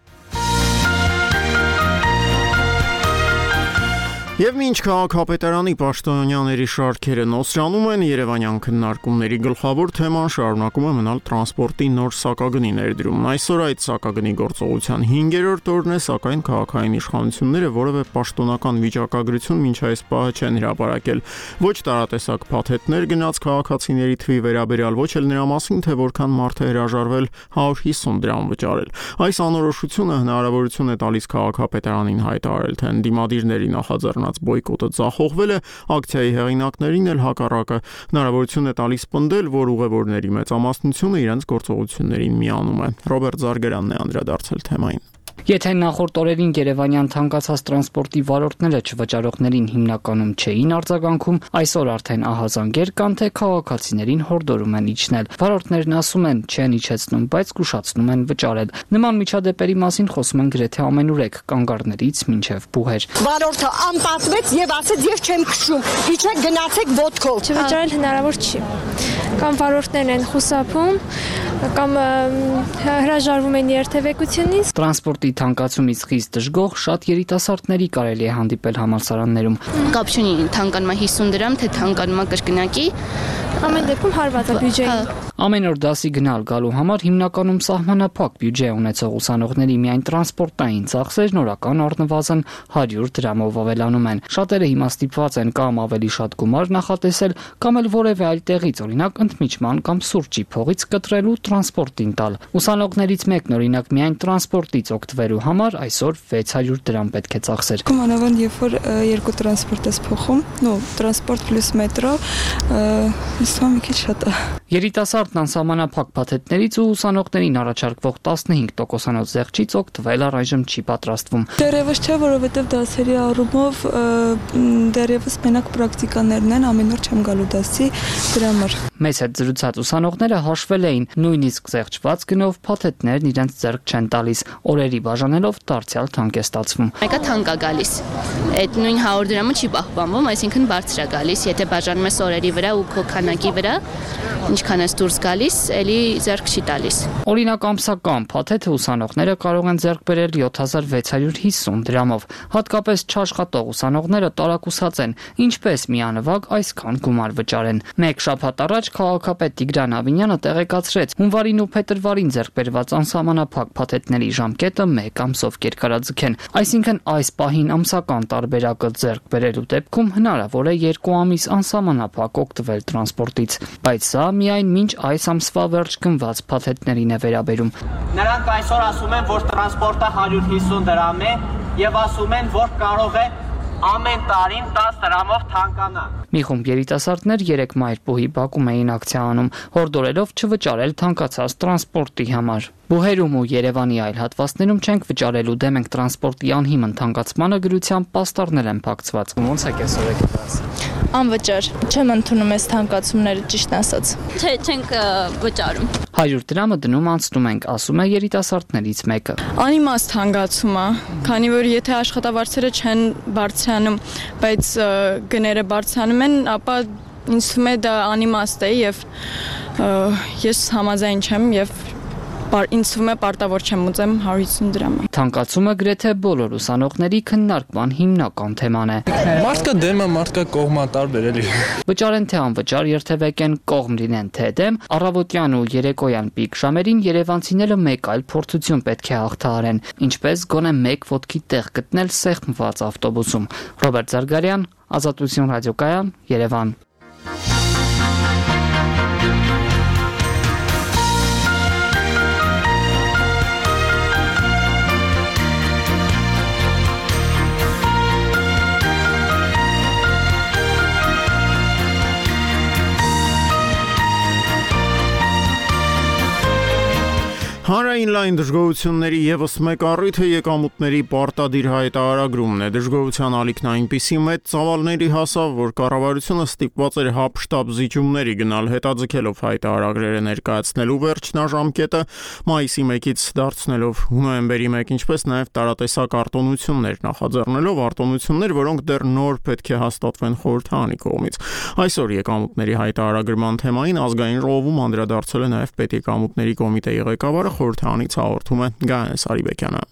Եվ մինչ քաղաքապետարանի պաշտոնյաների շարքերը նոսրանում են, երևանյան քննարկումների գլխավոր թեման շարունակում է մնալ տրանսպորտի նոր սակագնի ներդրումն։ Այսօր այդ սակագնի գործողության հինգերորդ օրն է, սակայն քաղաքային իշխանությունները որևէ պաշտոնական վիճակագրություն մինչ այս պահը չեն հրապարակել։ Ոչ տարատեսակ փաթեթներ գնաց քաղաքացիների թվի վերաբերյալ, ոչ էլ նրա մասին, թե որքան մարդ է հրաժարվել հարյուր հիսուն դրամ վճարել։ Այս անորոշությունը հնարավորություն է տալիս քաղաքապետարանին հայտարարել, թե ընդդիմադիրների նախաձեռնած բոյկոտը ձախողվել է, ակցիայի հեղինակներին էլ հակառակը հնարավորություն է տալիս պնդել, որ ուղևորների մեծամասնությունը իրենց գործողություններին միանում է։ Ռոբերտ Զարգերանն է անդրադարձել թեմային։ Եթե նախորդ օրերին Երևանյան թանկացած տրանսպորտի վարորդները չվճարողներին հիմնականում չէին արձագանքում, այսօր արդեն ահազանգեր կան, թե քաղաքացիներին հորդորում են իջնել։ Վարորդներն ասում են, չեն իջեցնում, բայց զգուշացնում են վճարել։ Նման միջադեպերի մասին խոսում են գրեթե ամենուրեք, կանգառներից մինչև բուհեր։ Վարորդը անպատվեց եւ ասեց, ես չեմ քշում, իջեք գնացեք ոտքով։ Չվճարել հնարավոր չի։ Կամ վարորդներն են խուսափում, կամ հրաժարվում են երթևեկությունից։ Տրանսպորտի թանկացումից խիստ դժգոհ շատ երիտասարդների կարելի է հանդիպել համալսարաններում։ Կապ չունի թանկանում է հիսուն դրամ, թե թանկանում է կրկնակի։ Ամեն դեպքում հարված է բյուջեին։ Ամեն օր դասի գնալ գալու համար հիմնականում սահմանափակ բյուջե ունեցող ուսանողների միայն տրանսպորտային ծախսերն օրական առնվազն հարյուր դրամով ավելանում են։ Շատերը հիմա ստիպված են կամ ավելի շատ գումար նախատեսել, կամ էլ որևէ այլ տեղից, օրինակ ընդմիջման կամ սուրճի փողից կտրելու տրանսպորտին տալ։ Ուսանողներից մեկն օրինակ միայն տրանսպորտից օգտվելու համար այսօր վեց հարյուր դրամ պետք է ծախսեր։ Մանավանդ երբ որ երկու տրանսպորտ ես փոխում, նո, տրանսպորտ պլյուս մետրո, իսկական մի քիչ շատ է։ Երիտասարդն անսահմանափակ փաթեթներից ու ուսանողներին առաջարկվող տասնհինգ տոկոսանոց զեղչից օգտվել առայժմ չի պատրաստվում։ Դեռևս չէ, որովհետև դասերի առումով դեռևս մենակ պրակտիկաներն են, ամեն օր չեմ գալու դասի, դրա համար։ Մեզ հետ զրուցած ուսանողները հաշվել էին, նույնիսկ զեղչված գնով փաթեթներն իրենց ձեռք չեն տալիս, օրերի բաժանելով դարձյալ թանկ է ստացվում։ Մեկը թանկ է գալիս։ Այդ նույն հարյուր դրամը չի պահպանվում, այսինքն բարձր է գալիս, եթե բաժանում ես օրերի վրա ու քո քանակի վրա, ինչքան ես դուրս գալիս, էլի ձեռք չի տալիս։ Օրինակ ամսական փաթեթը ուսանողները կարող են ձեռք բերել յոթ հազար վեց հարյուր հիսուն դրամով։ Հատկապես չաշխատող ուսանողները տարակուսած են, ինչպես միանվագ այսքան գումար վճարեն։ Մեկ շաբաթ առաջ քաղաքապետ Տիգրան Ավինյանը տեղեկացրեց, հունվարին ու փետրվարին ձեռք բերված անսահմանափակ փաթեթների ժամկետը մեկ ամսով կերկարաձգեն։ Այսինքն այս պահին ամսական տարբերակը ձեռք բերելու դեպքում հնարավոր է երկու ամիս անսահմանափակ օգտվել տրանսպորտից, բայց սա միայն մինչ այս ամսվա վերջ գնված փաթեթներին է վերաբերում։ Նրանք այսօր ասում են, որ տրանսպորտը հարյուր հիսուն դրամ է եւ ասում են, որ կարող է ամեն տարին տասը դրամով թանկանա։ Մի խումբ երիտասարդներ երեք մայրբուհի բակում էին ակցիա անում, հորդորելով չվճարել թանկացած տրանսպորտի համար։ Բուհերում ու Երևանի այլ հատվածներում չենք վճարելու դեմ ենք տրանսպորտի անհիմն թանկացմանը գրությամբ պաստառներ են փակցված։ Ոնց է կեսօր եք դաս։ Անվճար, չեմ ընդունում այս թանկացումները, ճիշտ ասած։ Չէ, չենք վճարում։ հարյուր դրամը դնում անցնում ենք, ասում է երիտասարդներից մեկը։ Անիմաստ հանգացում է, քանի որ եթե աշխատավարձերը չեն բարձրանում, բայց գները բարձրանում են, ապա ինձ թվում է դա անիմաստ է եւ ես համաձայն չեմ եւ ինձ թվում է պարտավոր չեմ ուզեմ հարյուր հիսուն դրամը։ Թանկացումը գրեթե բոլոր ուսանողների քննարկման հիմնական թեման է։ Մարդկա դեմը, մարդկա կողմա տարբեր էլի։ Վճարեն թե անվճար երթևեկեն, կողմ լինեն թե դեմ, առավոտյան ու երեկոյան պիկ ժամերին երևանցիները մեկ այլ փորձություն պետք է հաղթահարեն, ինչպես գոնե մեկ ոտքի տեղ գտնել սեղմված ավտոբուսում։ Ռոբերտ Զարգարյան, Ազատություն ռադիոկայան, Երևան։ Հանրային լայն դժգոհությունների եւս մեկ առիթը եկամուտների պարտադիր հայտարարագրումն է։ Դժգոհության ալիքն այնպիսի մեծ ծավալների հասավ, որ կառավարությունը ստիպված էր հապշտապ զիջումների գնալ, հետաձգելով հայտարարագրերը ներկայացնելու վերջնաժամկետը մայիսի մեկից դարձնելով նոյեմբերի մեկ, ինչպես նաեւ տարատեսակ արտոնություններ նախաձեռնելով արտոնություններ, որոնք դեռ նոր պետք է հաստատվեն խորհրդարանի կողմից։ Այսօր եկամուտների հայտարարագրման թեմային ազգային ժողովում անդրադարձել է նաեւ պետեկամուտների կոմիտեի ղեկավարը խորհրդարանից հաղորդում է Գայանե Սարիբեկյանը։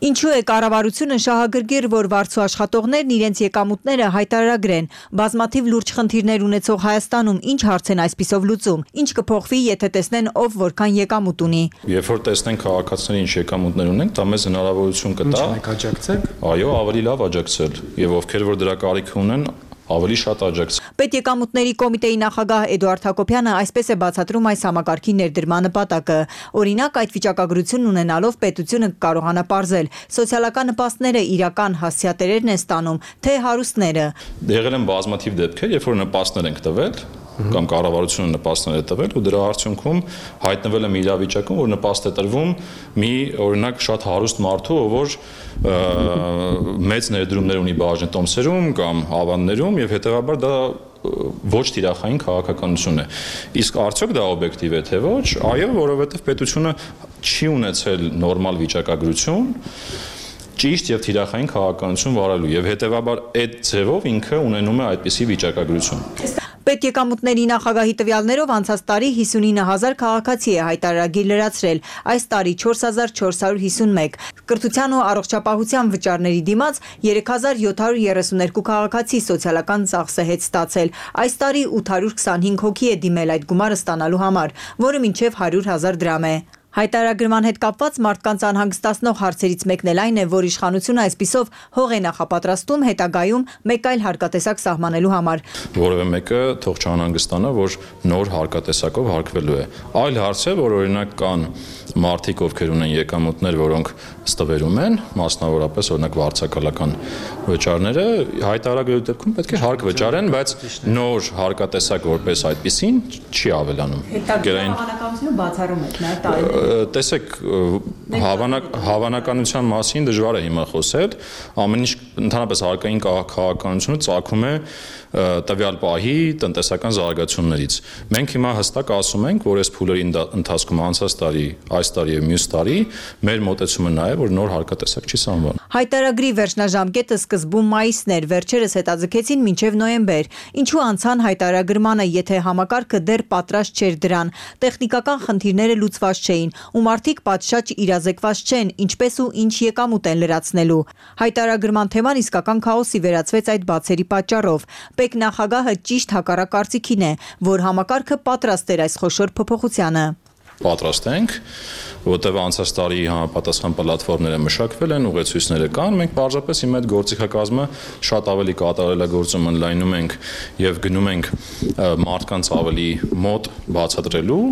Ինչու է կառավարությունը շահագրգիռ, որ վարձու աշխատողներն իրենց եկամուտները հայտարարագրեն։ Բազմաթիվ լուրջ խնդիրներ ունեցող Հայաստանում ինչ հարց են այսպիսով լուծում։ Ինչ կփոխվի, եթե տեսնեն ով որքան եկամուտ ունի։ Երբ որ տեսնեն քաղաքացիների ինչ եկամուտներ ունենք, դա մեզ հնարավորություն կտա։ Ինչ աջակցեք։ Այո, ավելի լավ աջակցել, եւ ովքեր որ դրա կարիք ունեն, ավելի շատ աջակցել։ Պետեկամուտների կոմիտեի նախագահ Էդուարդ Հակոբյանը այսպես է բացատրում այս համակարգի ներդրման նպատակը։ Օրինակ, այդ վիճակագրությունն ունենալով պետությունը կարողանա պարզել սոցիալական նպաստները իրական հասցեատերերն են ստանում, թե հարուստները։ Եղել են բազմաթիվ դեպքեր, երբ որ նպաստներ ենք տվել, կամ կառավարությունը նպաստներ է տվել ու դրա արդյունքում հայտնվել է մի իրավիճակում, որ նպաստ է տրվում մի օրինակ շատ հարուստ մարդու, որ մեծ ներդրումներ ունի բաժնետոմսերում կամ ավաններում եւ հետեւաբար դա ոչ թիրախային քաղաքականություն է։ Իսկ արդյոք դա օբյեկտիվ է թե ոչ։ Այո, որովհետեւ պետությունը չի ունեցել նորմալ վիճակագրություն ճիշտ եւ թիրախային քաղաքականություն վարելու եւ հետեւաբար այդ ձևով ինքը ունենում է այդպիսի վիճակագրություն։ Պետեկամուտների նախագահի տվյալներով անցած տարի հիսունինը հազար քաղաքացի է հայտարարագիր լրացրել, այս տարի չորս հազար չորս հարյուր հիսունմեկ, կրթության ու առողջապահության վճարների դիմաց երեք հազար յոթ հարյուր երեսուներկու քաղաքացի սոցիալական ծախսը հետ ստացել, այս տարի ութ հարյուր քսանհինգ հոգի է դիմել այդ գումարը ստանալու համար, որը մինչև հարյուր հազար դրամ է։ Հայտարարագրման հետ կապված մարդկանց անհանգստացնող հարցերից մեկն էլ այն է, որ իշխանությունը այսպիսով հող է նախապատրաստում հետագայում մեկ այլ հարկատեսակ սահմանելու համար։ Որևէ մեկը թող չանհանգստանա, որ նոր հարկատեսակով հարկվելու է։ Այլ հարց է, որ օրինակ կան մարդիկ, ովքեր ունեն եկամուտներ, որոնք ստվերում են, մասնավորապես օրինակ վարձակալական վճարները, հայտարարագրելու դեպքում պետք է հարկ վճարեն, բայց նոր հարկատեսակ որպես այդպեսին չի ավելանում։ Հավանականությունը բացառում եք նա տարի։ Տեսեք, հավանականության մասին դժվար է հիմա խոսել, ամեն ինչ ընդհանրապես հարկային քաղաքականությունը ծագում է տվյալ պահի տնտեսական զարգացումներից։ Մենք հիմա հստակ ասում ենք, որ այս փուլերի ընթացքում անցած տարի, այս տարի եւ մյուս տարի մեր մոտեցումը նա է, որ նոր հարկատեսակ չի սահմանվում։ Հայտարարագրի վերջնաժամկետը սկզբում մայիսն էր, վերջերս հետաձգեցին մինչև նոյեմբեր։ Ինչու անցան հայտարարագրմանը, եթե համակարգը դեռ պատրաստ չէր դրան, տեխնիկական խնդիրները լուծված չէին, ու մարդիկ պատշաճ իրազեկված չեն, ինչպես ու ինչ եկամուտ են լրացնելու։ Հայտարարագրման թեման իսկական քաոսի վերածվեց այդ բացերի պատճառով։ Պետ նախագահը ճիշտ հակառակ կարծիքին է, որ համակարգը պատրաստ էր այս խոշոր փոփոխությանը։ Պատրաստ ենք, որտեղ անցած տարի համապատասխան պլատֆորմները մշակվել են, ուղեցույցները կան, մենք պարզապես հիմա այդ գործիքակազմը շատ ավելի կատարելագործում ընդլայնում ենք եւ գնում ենք մարդկանց ավելի մոտ բացատրելու,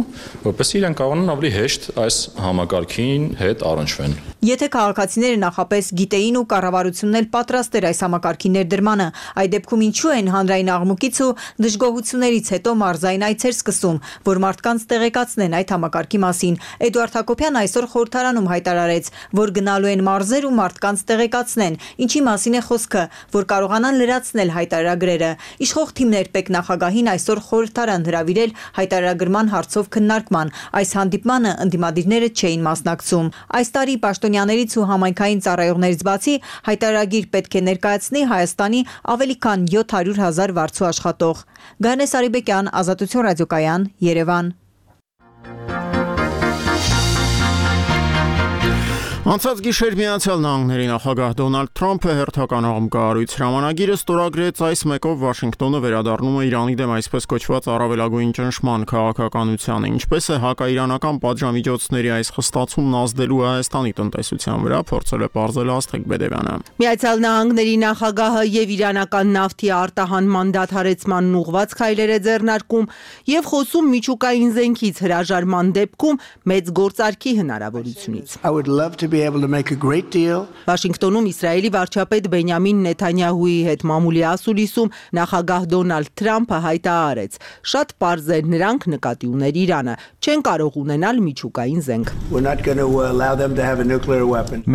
որպեսզի իրենք կարողանան ավելի հեշտ այս համակարգին հետ առնչվեն։ Եթե քաղաքացիները նախապես գիտեին ու կառավարությունն էլ պատրաստ էր այս համակարգի ներդրմանը, այդ դեպքում ինչու են հանրային աղմուկից ու դժգոհություններից հետո մարզային այցեր սկսում, որ մարդկանց տեղեկացնեն այդ համակարգի մասին։ Էդուարդ Հակոբյանը այսօր խորհրդարանում հայտարարեց, որ գնալու են մարզեր ու մարդկանց տեղեկացնեն, ինչի մասին է խոսքը, որ կարողանան լրացնել հայտարարագրերը։ Իշխող թիմներ պետ նախագահին այսօր խորհրդարան հրավիրել հայտարարագրման հարցով քննարկման։ Այս հանդիպմանը ընդդիմադիրները չէին մասնակցում։ Այս տարի պաշտոնյաներից ու համայնքային ծառայողներից բացի հայտարարագիր պետք է ներկայացնի Հայաստանի ավելի քան յոթ հարյուր հազար վարձու աշխատող։ Գայանե Սարիբեկյան, Ազատություն ռադիոկայան, Երևան։ Անցած գիշեր Միացյալ Նահանգների նախագահ Դոնալդ Թրամփը հերթական աղմկահարույց հրամանագիրը ստորագրեց, այս մեկով Վաշինգտոնը վերադառնում է Իրանի դեմ այսպես կոչված առավելագույն ճնշման քաղաքականությանը, ինչպես է հակաիրանական պատժամիջոցների այս խստացումն ազդելու Հայաստանի տնտեսության վրա, փորձել է պարզել Աստղիկ Բեդևյանը։ Միացյալ Նահանգների նախագահը եւ իրանական նավթի արտահանման դադարեցմանն ուղղված քայլեր է ձեռնարկում եւ խոսում միջուկային զենքից հրաժարման դեպքում մեծ գործարքի հնարավորությունից։ Վաշինգտոնում Իսրայելի վարչապետ Բենյամին Նեթանյահուի հետ մամուլի ասուլիսում նախագահ Դոնալդ Թրամփը հայտարարեց. շատ պարզ է, նրանք նկատի ուներ Իրանը, չեն կարող ունենալ միջուկային զենք։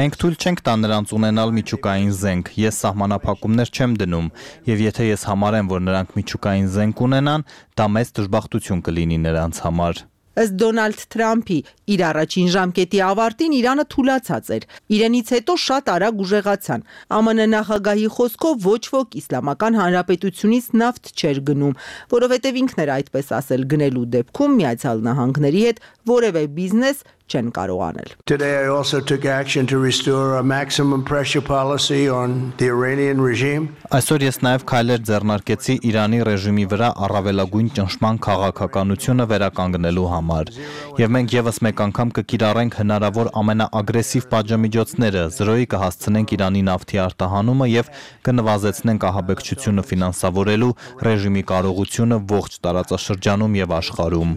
Մենք թույլ չենք տա նրանց ունենալ միջուկային զենք, ես սահմանափակումներ չեմ դնում, եւ եթե ես համարեմ, որ նրանք միջուկային զենք ունենան, դա մեծ դժբախտություն կլինի նրանց համար։ Ըստ Դոնալդ Թրամփի, իր առաջին ժամկետի ավարտին Իրանը թուլացած էր։ Իրենից հետո շատ արագ ուժեղացան։ ԱՄՆ նախագահի խոսքով ոչ ոք Իսլամական Հանրապետությունից նավթ չէր գնում, որովհետև ինքն էր այդպես ասել, գնելու դեպքում Միացյալ Նահանգների հետ որևէ բիզնես չեն կարող անել։ Today I also took action to restore a maximum pressure policy on the Iranian regime. Այսօր ես նաև քայլեր ձեռնարկեցի Իրանի ռեժիմի վրա առավելագույն ճնշման քաղաքականությունը վերականգնելու համար։ Եվ մենք եւս մեկ անգամ կկիրառենք հնարավոր ամենաագրեսիվ պատժամիջոցները, զրոյի կհասցնենք Իրանի նավթի արտահանումը եւ կնվազեցնենք ահաբեկչությունը ֆինանսավորելու ռեժիմի կարողությունը ողջ տարածաշրջանում եւ աշխարհում։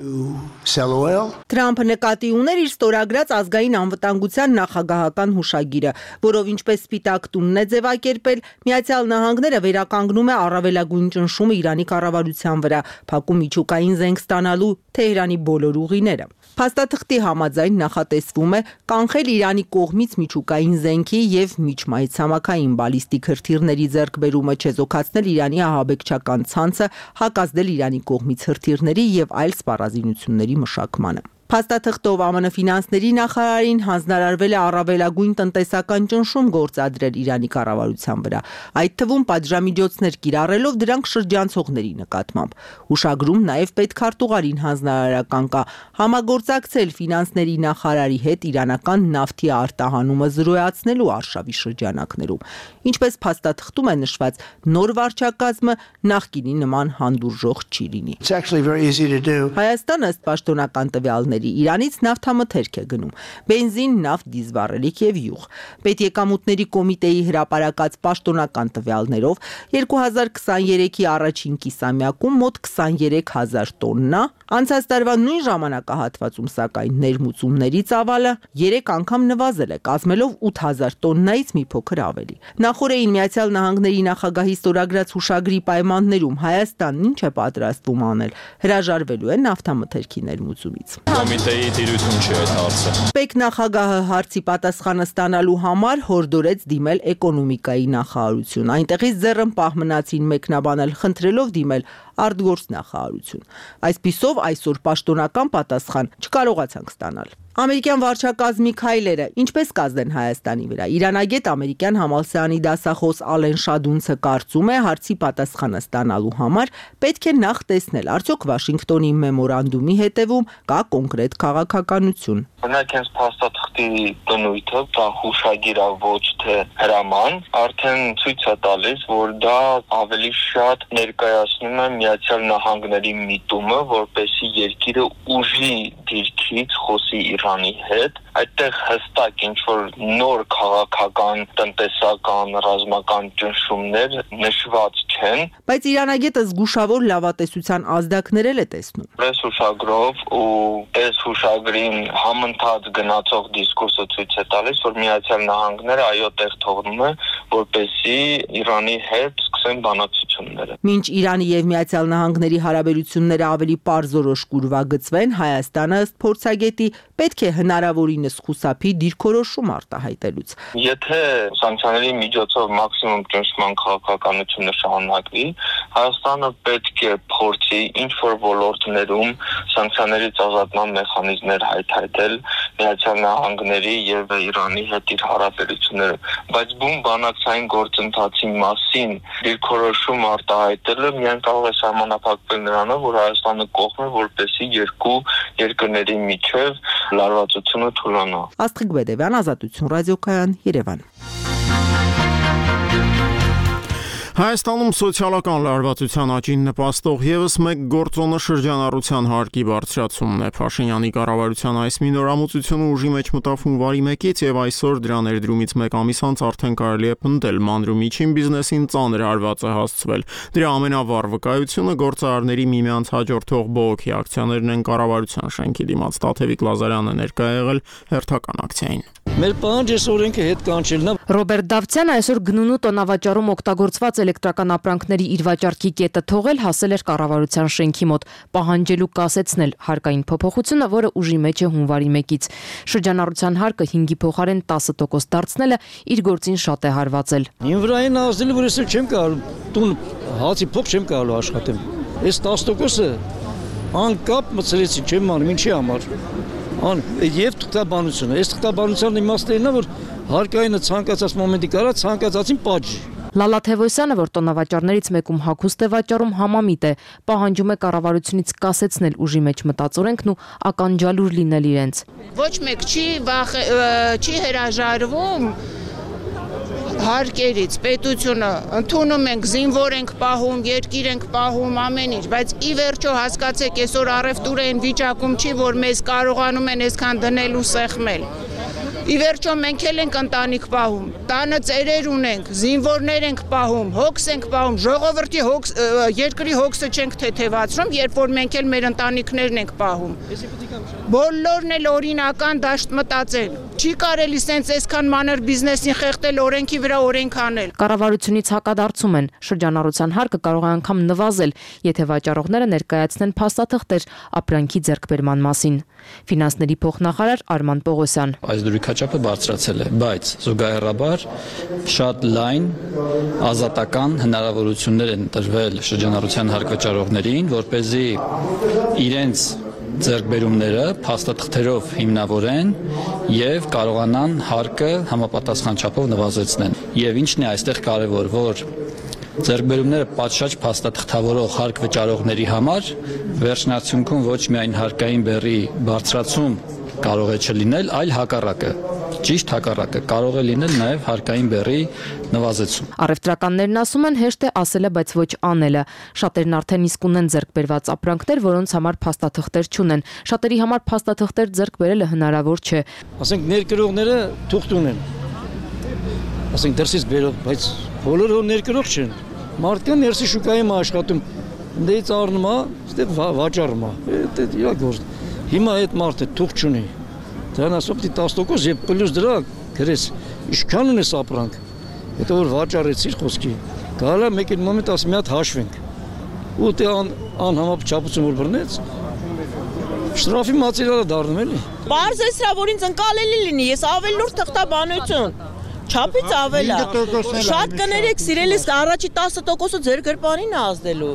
Թրամփը նկատի ուներ իր ստորագրած ազգային անվտանգության նախագահական հուշագիրը, որով ինչպես Սպիտակ տունն է ձևակերպել, Միացյալ Նահանգները վերականգնում է առավելագույն ճնշումը Իրանի կառավարության վրա, փակում միջուկային զենք ստանալու Թեհրանի բոլոր ուղիները։ Փաստաթղթի համաձայն նախատեսվում է կանխել Իրանի կողմից միջուկային զենքի եւ միջմայրցամաքային բալիստիկ հրթիռների ձեռքբերումը, չեզոքացնել Իրանի ահաբեկչական ցանցը, հակազդել Իրանի կողմից հրթիռների եւ այլ սպառազինությունների մշակմանը։ Փաստաթղթով ԱՄՆ ֆինանսների նախարարին հանձնարարվել է առավելագույն տնտեսական ճնշում գործադրել Իրանի կառավարության վրա, այդ թվում պատժամիջոցներ կիրառելով դրանք շրջանցողների նկատմամբ։ Հուշագրում նաև պետքարտուղարին հանձնարարական կա համագործակցել ֆինանսների նախարարի հետ իրանական նավթի արտահանումը զրոյացնելու արշավի շրջանակներում։ Ինչպես փաստաթղթում է նշված, նոր վարչակազմը նախկինի նման հանդուրժող չի լինի։ Հայաստանը ըստ պաշտոնական տվյալների Իրանից նավթամթերք է գնում, բենզին, նավթ, դիզվառելիք եւ յուղ։ Պետեկամուտների կոմիտեի հրապարակած պաշտոնական տվյալներով երկու հազար քսաներեքի առաջին կիսամյակում մոտ քսաներեք հազար տոննա, անցած տարվա նույն ժամանակահատվածում սակայն ներմուծումների ծավալը երեք անգամ նվազել է, կազմելով ութ հազար տոննայից մի փոքր ավելի։ Նախորդին Միացյալ Նահանգների նախագահի ստորագրած հուշագրի պայմաններում Հայաստանն ինչ է պատրաստվում անել, հրաժարվելու է նավթամթերքի ներմուծումից։ Կոմիտեի դիրություն չի այդ հարցը։ Պետ նախագահը հարցի պատասխանը ստանալու համար հորդորեց դիմել էկոնոմիկայի նախարարություն, այնտեղից ձեռնպահ մնացին մեկնաբանել, խնդրելով դիմել արտգործնախարարություն։ Այսպիսով այսօր պաշտոնական պատասխան չկարողացանք ստանալ։ Ամերիկյան վարչակազմի քայլերը ինչպես կազդեն Հայաստանի վրա։ Իրանագետ ամերիկյան համալսարանի դասախոս Ալեն Շադունցը կարծում է հարցի պատասխանը ստանալու համար պետք է նախ տեսնել, արդյոք Վաշինգտոնի մեմորանդումի հետևում կա կոնկրետ քաղաքականություն։ Օրինակ հենց փաստաթղթի բնույթը, դա հուշագիր է, ոչ թե հրաման, արդեն ցույց է տալիս, որ դա ավելի շատ ներկայացնում է Միացյալ Նահանգների միտումը, որպեսզի երկիրը ուժի դիրքից խոսի Իրանի հետ, այդտեղ հստակ ինչ-որ նոր քաղաքական, տնտեսական, ռազմական ճնշումներ նշված չեն։ Բայց իրանագետը զգուշավոր լավատեսության ազդակներ է տեսնում։ Այս հուշագրով ու այս հուշագրին համընթաց գնացող դիսկուրսը ցույց է տալիս, որ Միացյալ Նահանգները այո տեղ թողնում է, որպեսզի Իրանի հետ սկսեն բանակցությունները։ Մինչ Իրանի եւ Միացյալ Նահանգների հարաբերությունները ավելի պարզորոշ կուրվագծվեն, Հայաստանը ըստ փորձագետի պետք է հնարավորինս խուսափի դիրքորոշում արտահայտելուց։ Եթե սանկցիաների միջոցով մաքսիմում ճնշման քաղաքականությունը շարունակվի, Հայաստանը պետք է փորձի ինչ-որ ոլորտներում սանկցիաներից ազատման մեխանիզմներ հայտարարել Միացյալ Նահանգների եւ Իրանի հետ իր հարաբերությունները, բայց բուն բանակցային գործընթացի մասին դիրքորոշում արտահայտելը միայն կարող է սահմանափակվել նրանով, որ Հայաստանը կողմ է, որպեսզի երկու երկրների միջև լարվածությունը թուլանա։ Աստղիկ Բեդևյան, Ազատություն ռադիոկայան, Երևան։ Հայաստանում սոցիալական լարվածության աճին նպաստող ևս մեկ գործոնը շրջանառության հարկի բարձրացումն է։ Փաշինյանի կառավարության այս մի նորամուծությունը ուժի մեջ մտավ հունվարի մեկից եւ այսօր դրա ներդրումից մեկ ամիս անց արդեն կարելի է պնդել մանրումիջին բիզնեսին ծանր հարված է հասցվել։ Դրա ամենավառ վկայությունը գործարարների միմյանց հաջորդող բողոքի ակցիաներն են կառավարության շենքի դիմաց։ Տաթևիկ Լազարյանը ներկա է եղել հերթական ակցիային։ Մեր պահանջը օրենքը հետ կանչելն է։ Ռոբերտ Դավթյանը այսօր գնունու տոնավաճառում օգտագործված էլեկտրական ապրանքների իր վաճառքի կետը թողել հասել էր կառավարության շենքի մոտ, պահանջելու կասեցնել հարկային փոփոխությունը, որը ուժի մեջ է հունվարի մեկից։ Շրջանառության հարկը հինգի փոխարեն տասը տոկոս դարձնելը իր գործին շատ է հարվածել։ Ին վրային ազդել, որ ես չեմ կարող տուն հացի փող չեմ կարող աշխատեմ։ Այս տասը տոկոսը անկապ մցրեցի չեմ անում, ինչի համար։ Ան եւ թղթաբանությունը, այս թղթաբանության իմաստն է, որ հարկայինը ցանկացած մոմենտի կարա ցանկացածին պատժի։ Լալա Թևոսյանը, որ տոնավաճառներից մեկում հագուստ է վաճառում, համամիտ է, պահանջում է կառավարությունից կասեցնել ուժի մեջ մտածորենքն ու ականջալուր լինել իրենց։ Ոչ մեկ չի չի հրաժարվում հարկերից, պետությունը ընդունում ենք, զինվոր ենք պահում, երկիր ենք պահում, ամեն ինչ, բայց ի վերջո հասկացեք, այսօր առևտուրը այն վիճակում չի, որ մեզ կարողանում են այսքան դնել ու սեղմել։ Ի վերջո մենք էլ ենք ընտանիք պահում, տանը ծերեր ունենք, զինվորներ ենք պահում, հոգս ենք պահում, ժողովրդի հոգս, երկրի հոգսը չենք թեթևացնում, երբ որ մենք էլ մեր ընտանիքներն ենք պահում։ Բոլորն էլ օրինական դաշտ մտածել։ Չի կարելի սենց այսքան մանր բիզնեսին խեղդել, օրենքի վրա օրենք անել։ Կառավարությունից հակադարձում են, շրջանառության հարկը կարող է անգամ նվազել, եթե վաճառողները ներկայացնեն փաստաթղթեր ապրանքի ձեռքբերման մասին։ Ֆինանսների փոխնախարար Արման Պողոսյան։ Այս դուրի քաչապը բարձրացել է, բայց զուգահեռաբար շատ լայն ազատական հնարավորություններ են տրվել շրջանառության հարկվճարողներին, որպեսզի իրենց ձեռքբերումները փաստաթղթերով հիմնավորեն եւ կարողանան հարկը համապատասխան չափով նվազեցնեն։ Եվ ինչն է այստեղ կարևոր, որ ձեռքբերումները պատշաճ փաստաթղթավորող հարկ վճարողների համար վերջնարդյունքում ոչ միայն հարկային բեռի բարձրացում կարող է չլինել, այլ հակառակը։ Ճիշտ հակառակը կարող է լինել նաև հարկային բեռի նվազեցում։ Առևտրականներն ասում են հեշտ է ասելը, բայց ոչ անելը։ Շատերն արդեն իսկ ունեն ձեռք բերված ապրանքներ, որոնց համար փաստաթղթեր չունեն։ Շատերի համար փաստաթղթեր ձեռք բերելը հնարավոր չէ։ Ասենք ներկրողները թուղթ ունեն։ Ասենք դրսից բերող, բայց բոլորը ներկրող չեն։ Մարդկան ներսի շուկայում աշխատում։ Դից առնում է, ստե վաճառում է։ Դա իր գործ։ Հիմա այդ մարդը թուղթ չունի։ Դրան ասում դի տասը տոկոս եւ պլյուս դրա գրես ինչքան ունես ապրանք։ Հետո որ վաճառեցիր խոսքի։ Գալա մեկ այդ մոմենտ ասում մի հատ հաշվենք։ Ու դե ան անհամապչապություն որ բռնեց։ Շտրաֆի մատերիալը դառնում էլի։ Պարզ է սրա որ ինձ ընկալելի լինի, ես ավելորդ թղթաբանություն։ Չափից ավել է։ Շատ կներեք, սիրելիս առաջի տասը տոկոսը ձեր գրպանին ազդելու։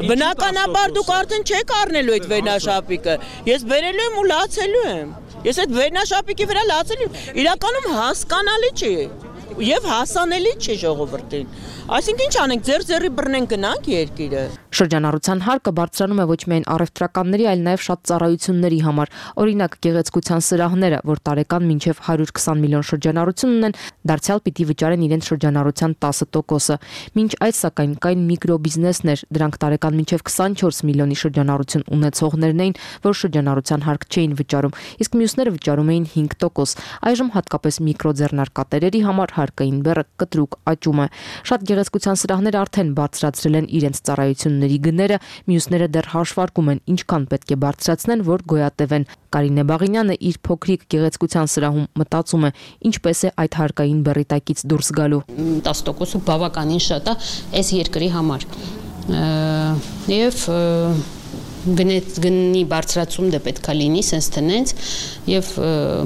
Բնականաբար դուք արդեն չեք առնելու այդ վերնաշապիկը։ Ես բերելու եմ ու լացելու եմ։ Ես այդ վերնաշապիկի վրա լացելու եմ։ Իրականում հասկանալի չի եւ հասանելի չի ժողովրդին։ Այսինքն ինչ անենք, ձեր ձեռի բռնեն գնանք երկիրը։ Շրջանառության հարկը բարձրանում է ոչ միայն առևտրականների, այլ նաև շատ ծառայությունների համար։ Օրինակ, գեղեցկության սրահները, որ տարեկան մինչև հարյուր քսան միլիոն շրջանառություն ունեն, դարձյալ պիտի վճարեն իրենց շրջանառության տասը տոկոսը։ Մինչ այդ սակայն կային միկրոբիզնեսներ, դրանք տարեկան մինչև քսանչորս միլիոնի շրջանառություն ունեցողներն էին, որ շրջանառության հարկ չէին վճարում, իսկ մյուսները վճարում էին հինգ տոկոս։ Այժմ հատկապես միկրոձեռնարկատերերի համար հարկային բեռը կտրուկ աճում է։ Շատ գեղեցկության սրահները արդեն բարձրացրել են իրենց ծառայությունների գները, մյուսները դեռ հաշվարկում են ինչքան պետք է բարձրացնեն, որ գոյատևեն։ Կարինե Բաղինյանը իր փոքրիկ գեղեցկության սրահում մտածում է, ինչպես է այդ հարկային բեռի տակից դուրս գալու։ տասը տոկոսը բավականին շատ է այս երկրի համար։ Եվ գնի բարձրացում դե պետքա լինի, սենց տնենց, եւ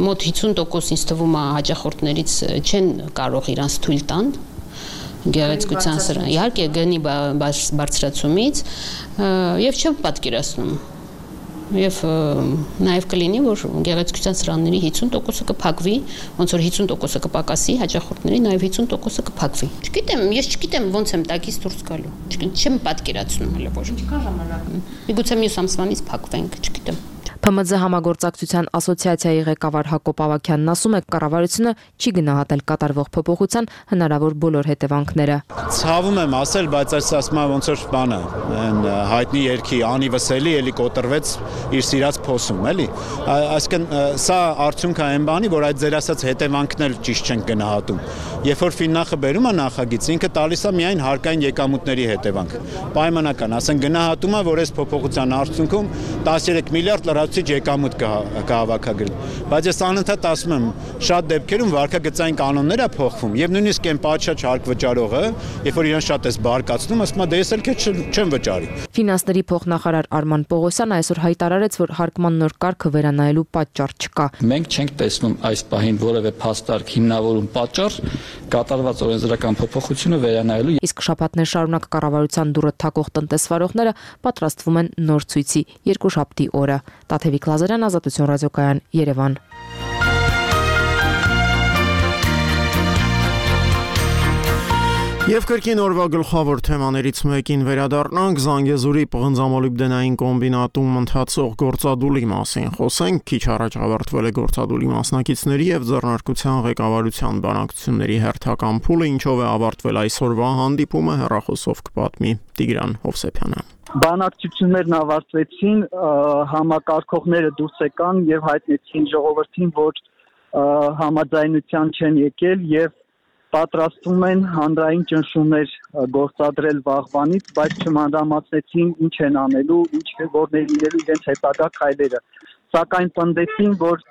մոտ հիսուն տոկոս ինձ թվում է հաճախորդներից չեն կարող իրանց թույլ տան գեղեցկության սրահ, իհարկե գնի բարձրացումից եւ չեմ պատկերացնում։ Եվ նաև կլինի, որ գեղեցկության սրահների հիսուն տոկոսը կփակվի, ոնց որ հիսուն տոկոսը կպակասի, հաճախորդների նաև հիսուն տոկոսը կփակվի։ Չգիտեմ, ես չգիտեմ ոնց եմ տակից դուրս գալու։ Չեմ պատկերացնում հələ որ։ Ինչքան ժամանակ։ Միգուցե մյուս ամսվանից փակվենք, չգիտեմ։ Փ M Z համագործակցության ասոցիացիայի ղեկավար Հակոբ Ավագյանն ասում է, կառավարությունը չի գնահատել կատարվող փոփոխության հնարավոր բոլոր հետևանքները։ Ցավում եմ ասել, բայց այս ասում եմ ոնց որ բանը, այն հայտնի երգի անի վսելի էլի կոտրվեց իր սիրած փոսում, էլի։ Այսինքն սա արդյունք է այն բանի, որ այդ ձեր ասած հետևանքն էլ ճիշտ չեն գնահատում։ Երբ որ Ֆիննախը բերում է նախագիծ, ինքը տալիս է միայն հարկային եկամուտների հետևանք։ Պայմանական, ասեն գնահատում է, որ այս փոփոխության արդյունքում տասներեք միլիարդ լրացուցիչ եկամուտ կհավաքագրի։ Բայց ես անընդհատ ասում եմ, շատ դեպքերում վարկագծային կանոններ է փոխվում, եւ նույնիսկ այն պատշաճ հարկ վճարողը, երբ որ իրեն շատ էս բարկացնում, ասում է դե ես էլ քեզ չեմ վճարի։ Ֆինանսների փոխնախարար Արման Պողոսյանը այսօր հայտարարեց, որ հարկման նոր կարգը վերանայելու պատճառ չկա։ Մենք չենք տեսնում այս պահին որևէ փաստարկ հիմնավորում պատճառ կատարված օրենսդրական փոփոխությունը վերանայելու։ Իսկ շաբաթներ շարունակ կառավարության դուրը թակող տնտեսվարողները պատրաստվում են նոր ցույցի երկուշաբթի օրը։ Տաթևիկ Լազարյան, Ազատություն ռադիոկայան, Երևան։ Եվ կրկին օրվա գլխավոր թեմաներից մեկին վերադառնանք Զանգեզուրի պղնձամոլիբդենային կոմբինատում ընթացող գործադուլի մասին։ Խոսենք, քիչ առաջ ավարտվել է գործադուլի մասնակիցների եւ ձեռնարկության ղեկավարության բանակցությունների հերթական փուլը, ինչով է ավարտվել այսօրվա հանդիպումը, հեռախոսով կպատմի Տիգրան Հովսեփյանը։ Բանակցություններն ավարտվեցին, համակարգողները դուրս եկան եւ հայտնեցին ժողովրդին, որ համաձայնության չեն եկել եւ պատրաստվում են հանրային ճնշումներ գործադրել վաղվանից, բայց չմանրամասնեցին ինչ են անելու, ինչ որներ լինելու իրենց հետագա քայլերը։ Սակայն պնդեցին, որ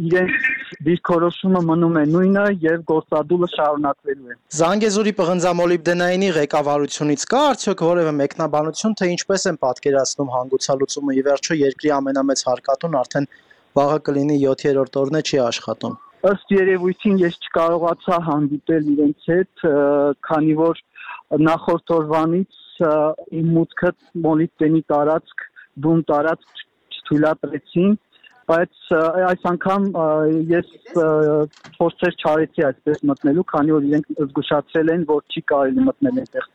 իրենց դիրքորոշումը մնում է նույնը եւ գործադուլը շարունակվելու է։ Զանգեզուրի պղնձամոլիբդենայինի ղեկավարությունից կա արդյոք որևէ մեկնաբանություն, թե ինչպես են պատկերացնում հանգուցալուծումը, ի վերջո երկրի ամենամեծ հարկատուն արդեն վաղը կլինի յոթերորդ օրն է, չի աշխատում։ Ըստ երևույթին ես չկարողացա հանդիպել իրենց հետ, քանի որ նախորդ օրվանից իմ մուտքը մոլիբդենի տարածք, բուն տարածք չթույլատրեցին, բայց այս անգամ ես փորձեր չարեցի այսպես մտնելու, քանի որ իրենք զգուշացրել են, որ չի կարելի մտնել այնտեղ։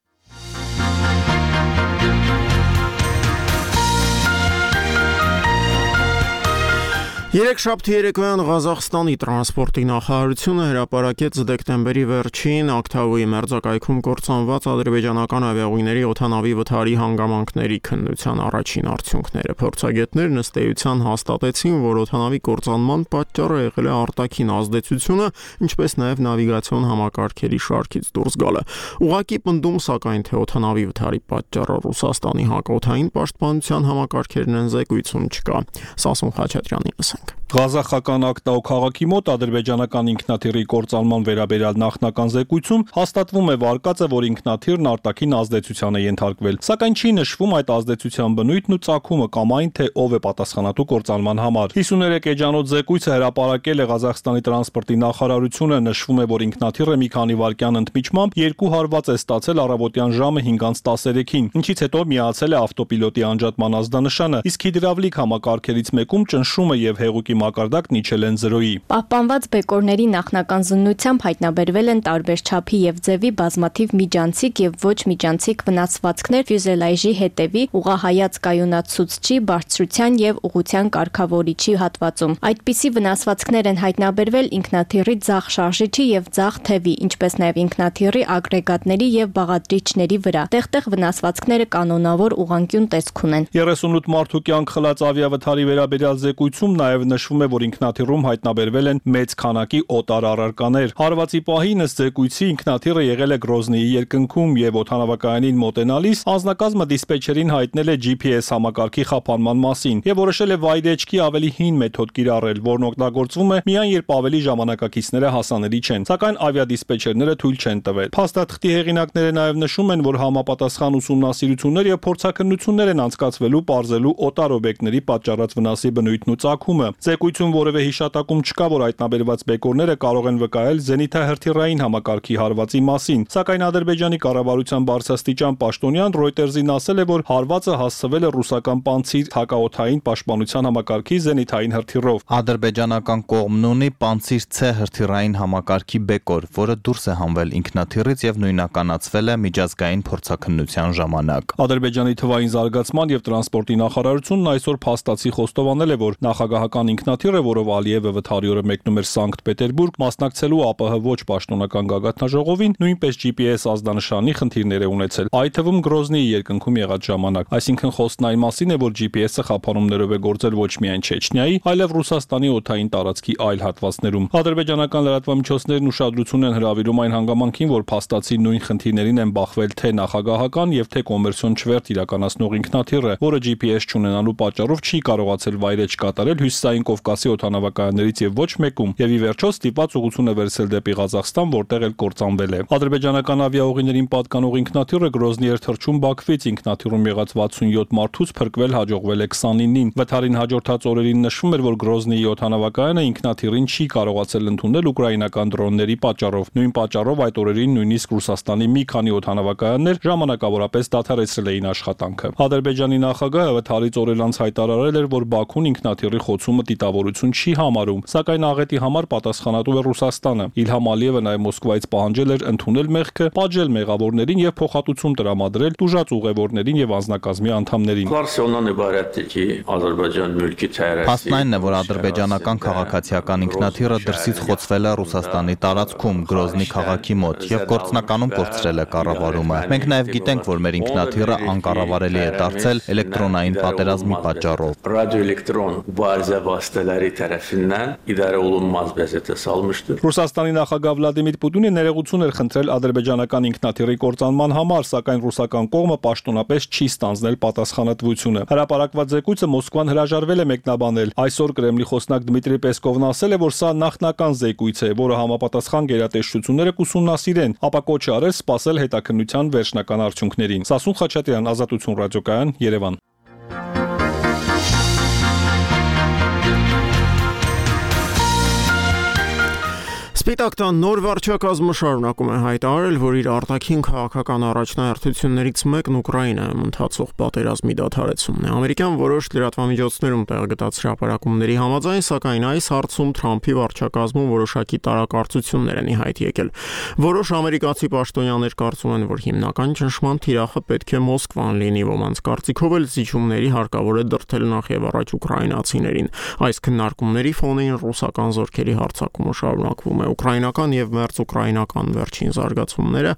Երեքշաբթի երեկոյան Ղազախստանի տրանսպորտի նախարարությունը հրապարակեց դեկտեմբերի վերջին Ակթաուի մերձակայքում կործանված ադրբեջանական ավիաուղիների օդանավի վթարի հանգամանքների քննության առաջին արդյունքները։ Փորձագետներն ըստ էության հաստատեցին, որ օդանավի կործանման պատճառը եղել է արտաքին ազդեցությունը, ինչպես նաև նավիգացիոն համակարգերի շարքից դուրս գալը։ Ուղղակի պնդում, սակայն, թե օդանավի վթարի պատճառը Ռուսաստանի հակօդային պաշտպանության համակարգերն են, զեկույցում չկա։ Սասուն Խաչատրյանի լսենք։ Ղազախական Ակտաու քաղաքի մոտ ադրբեջանական ինքնաթիռի կործանման վերաբերյալ նախնական զեկույցում հաստատվում է վարկածը, որ ինքնաթիռն արտաքին ազդեցության է ենթարկվել, սակայն չի նշվում այդ ազդեցության բնույթն ու ծագումը կամ այն, թե ով է պատասխանատու կործանման համար։ հիսուներեք էջանոց զեկույցը հրապարակել է Ղազախստանի տրանսպորտի նախարարությունը, նշվում է, որ ինքնաթիռը մի քանի վայրկյան ընդմիջմամբ երկու հարված է ստացել առավոտյան ժամը հինգ տասներեքին, ինչից հետո միացել է ավտոպիլոտի անջատման ազդանշանը, իսկ հիդրավլիկ համակարգերից մեկում ճնշումը եւ հեղուկի մակարդակն իջել են զրոյի։ Պահպանված բեկորների նախնական զննությամբ հայտնաբերվել են տարբեր չափի եւ ձևի բազմաթիվ միջանցիկ եւ ոչ միջանցիկ վնասվածքներ ֆյուզելաժի հետևի ուղղահայաց կայունացուցչի, բարձրության եւ ուղղության կարգավորիչի հատվածում։ Այդպիսի վնասվածքներ են հայտնաբերվել ինքնաթիռի ձախ շարժիչի եւ ձախ թևի, ինչպես նաեւ ինքնաթիռի ագրեգատների եւ բաղադրիչների վրա։ Տեղ-տեղ վնասվածքները կանոնավոր ուղղանկյուն տեսք ունեն։ երեսունութ մարդու կյանք խլած ավիավթարի վերաբերյալ զեկույցում նաև նշվում է, որ ինքնաթիռում հայտնաբերվել են մեծ քանակի օտար առարկաներ։ Հարվածի պահին ըստ զեկույցի ինքնաթիռը եղել է Գրոզնիի երկնքում եւ օդանավակայանին մոտենալիս անձնակազմը դիսպեչերին հայտնել է G P S համակարգի խափանման մասին եւ որոշել է վայրեջքի ավելի հին մեթոդ կիրառել, որն օգտագործվում է միայն երբ ավելի ժամանակակիցները հասանելի չեն, սակայն ավիադիսպեչերները թույլ չեն տվել։ Փաստաթղթի հեղինակները նաև նշում են, որ համապատասխան ուսումնասիրություններ եւ փորձաքննություններ են անցկացվելու պարզելու օտար օբյեկտների պատճառած վնասի բնույթն ու ծագումը։ Զեկույցում որևէ հիշատակում չկա, որ հայտնաբերված բեկորները կարող են վկայել զենիթահրթիռային համակարգի հարվածի մասին, սակայն Ադրբեջանի կառավարության բարձրաստիճան պաշտոնյան Reuters-ին ասել է, որ հարվածը հասցվել է ռուսական Պանցիր հակաօդային պաշտպանության համակարգի զենիթային հրթիռով։ Ադրբեջանական կողմն ունի Պանցիր C հրթիռային համակարգի բեկոր, որը դուրս է հանվել ինքնաթիռից եւ նույնականացվել է միջազգային փորձաքննության ժամանակ։ Ադրբեջանի թվային զարգացման եւ տրանսպորտի նախարարությունն այսօր փաստացի խոստովանել է, որ նախագահական ինքնաթիռը, որով Ալիևը վթարի օրը մեկնում էր Սանկտ Պետերբուրգ, մասնակցելու A P H ոչ պաշտոնական գագաթնաժողովին, նույնպես G P S ազդանշանի խնդիրներ է ունեցել, այդ թվում Գրոզնիի երկնքում եղած ժամանակ։ Այսինքն խոսքն այն մասին է, որ G P S-ը խափանումներով է գործել ոչ միայն Չեչնիայի, այլև Ռուսաստանի օդային տարածքի այլ հատվածներում։ Ադրբեջանական լրատվամիջոցներն ուշադրություն են հրավիրում այն հանգամանքին, որ փաստացի նույն խնդիրներին են բախվել թե նախագահական եւ թե կոմերցիոն չվերթ իրականացնող ինքնաթիռը, որը G P S չունենալու պատճառով չի կարողացել վայրեջ կատարել Հյուսիսային Կովկասի օդանավակայաններից եւ ոչ մեկում, եւ ի վերջո ստիպված ուղղություն է վերցել դեպի Ղազախստան, որտեղ էլ կործանվել է։ Ադրբեջանական ավիաուղիներին պատկանող ինքնաթիռը Գրոզնի էր թռչում Բաքվից, ինքնաթիռում եղած վաթսունյոթ մարդուց փրկվել հաջողվել է քսանինին։ Վթարին հաջորդած օրերին նշվում էր, որ Գրոզնիի օդանավակայանը ինքնաթիռին չի կարողացել ընդունել ուկրաինական դրոնների պատճառով։ Նույն պատճառով այդ օրերին նույնիսկ Ռուսաստանի մի քանի օդանավակայաններ ժամանակավորապես դադարեցրել էին աշխատանքը։ Ադրբեջանի նախագահը վթարից օրեր անց հայտարարել էր, որ Բաքուն ինքնաթիռի խոցումը դիտավորություն չի համարում, սակայն աղետի համար պատասխանատու է Ռուսաստանը։ Իլհամ Ալիևը նաև Մոսկվայից պահանջել էր ընդունել մեղքը, պատժել մեղավորներին եւ փոխհատուցում տրամադրել տուժած ուղևորներին եւ անձնակազմի անդամներին։ Փաստն այն է, որ ադրբեջանական քաղաքացիական ինքնաթիռը դրսից խոցվել է Ռուսաստանի տարածքում, Գրոզնի քաղաքի մոտ եւ գործնականում կորցրել է կառավարումը։ Մենք նաեւ գիտենք, որ մեր ինքնաթիռը անկառավարելի է դարձել էլեկտրոնային պատերազմի պատճառով։ Radioelektron mübarizə vasitələri tərəfindən idarə olunmaz vəziyyətə salmışdır. Ռուսաստանի նախագահ Վլադիմիր Պուտինը ներողություն էր խնդրել ադրբեջանական ինքնաթիռի կործանման համար, սակայն ռուսական կողմը պաշտոնապես չի ստանձնել պատասխանատվությունը։ Հրապարակված զեկույցը Մոսկվան հրաժարվել է մեկնաբանել։ Այսօր Կրեմլի խոսնակ Դմիտրի Պեսկովն ասել է, որ սա նախնական զեկույց է, որը համապատասխան գերատեսչությունները կուսումնասիրեն, ապա կոչ է արել սպասել հետաքննության վերջնական արդյունքներին։ Սասուն Խաչատրյան, Ազատություն ռադիոկայան, Երևան։ Սպիտակ տան նոր վարչակազմը շարունակում է հայտարարել, որ իր արտաքին քաղաքական առաջնահերթություններից մեկն Ուկրաինայում ընթացող պատերազմի դադարեցումն է։ Ամերիկյան որոշ լրատվամիջոցներում տեղգտած հրապարակումների համաձայն, սակայն այս հարցում Թրամփի վարչակազմում որոշակի տարակարծություններ են ի հայտ եկել։ Որոշ ամերիկացի պաշտոնյաներ կարծում են, որ հիմնական ճնշման թիրախը պետք է Մոսկվան լինի, ոմանց կարծիքով էլ զիջումների հարկավոր է դրդել նախ եւ առաջ ուկրաինացիներին։ Այս քննարկումների ֆոնին ռուսական զորքերի հարձակումը շարունակվում է։ Ուկրաինական եւ մերձուկրաինական վերջին զարգացումները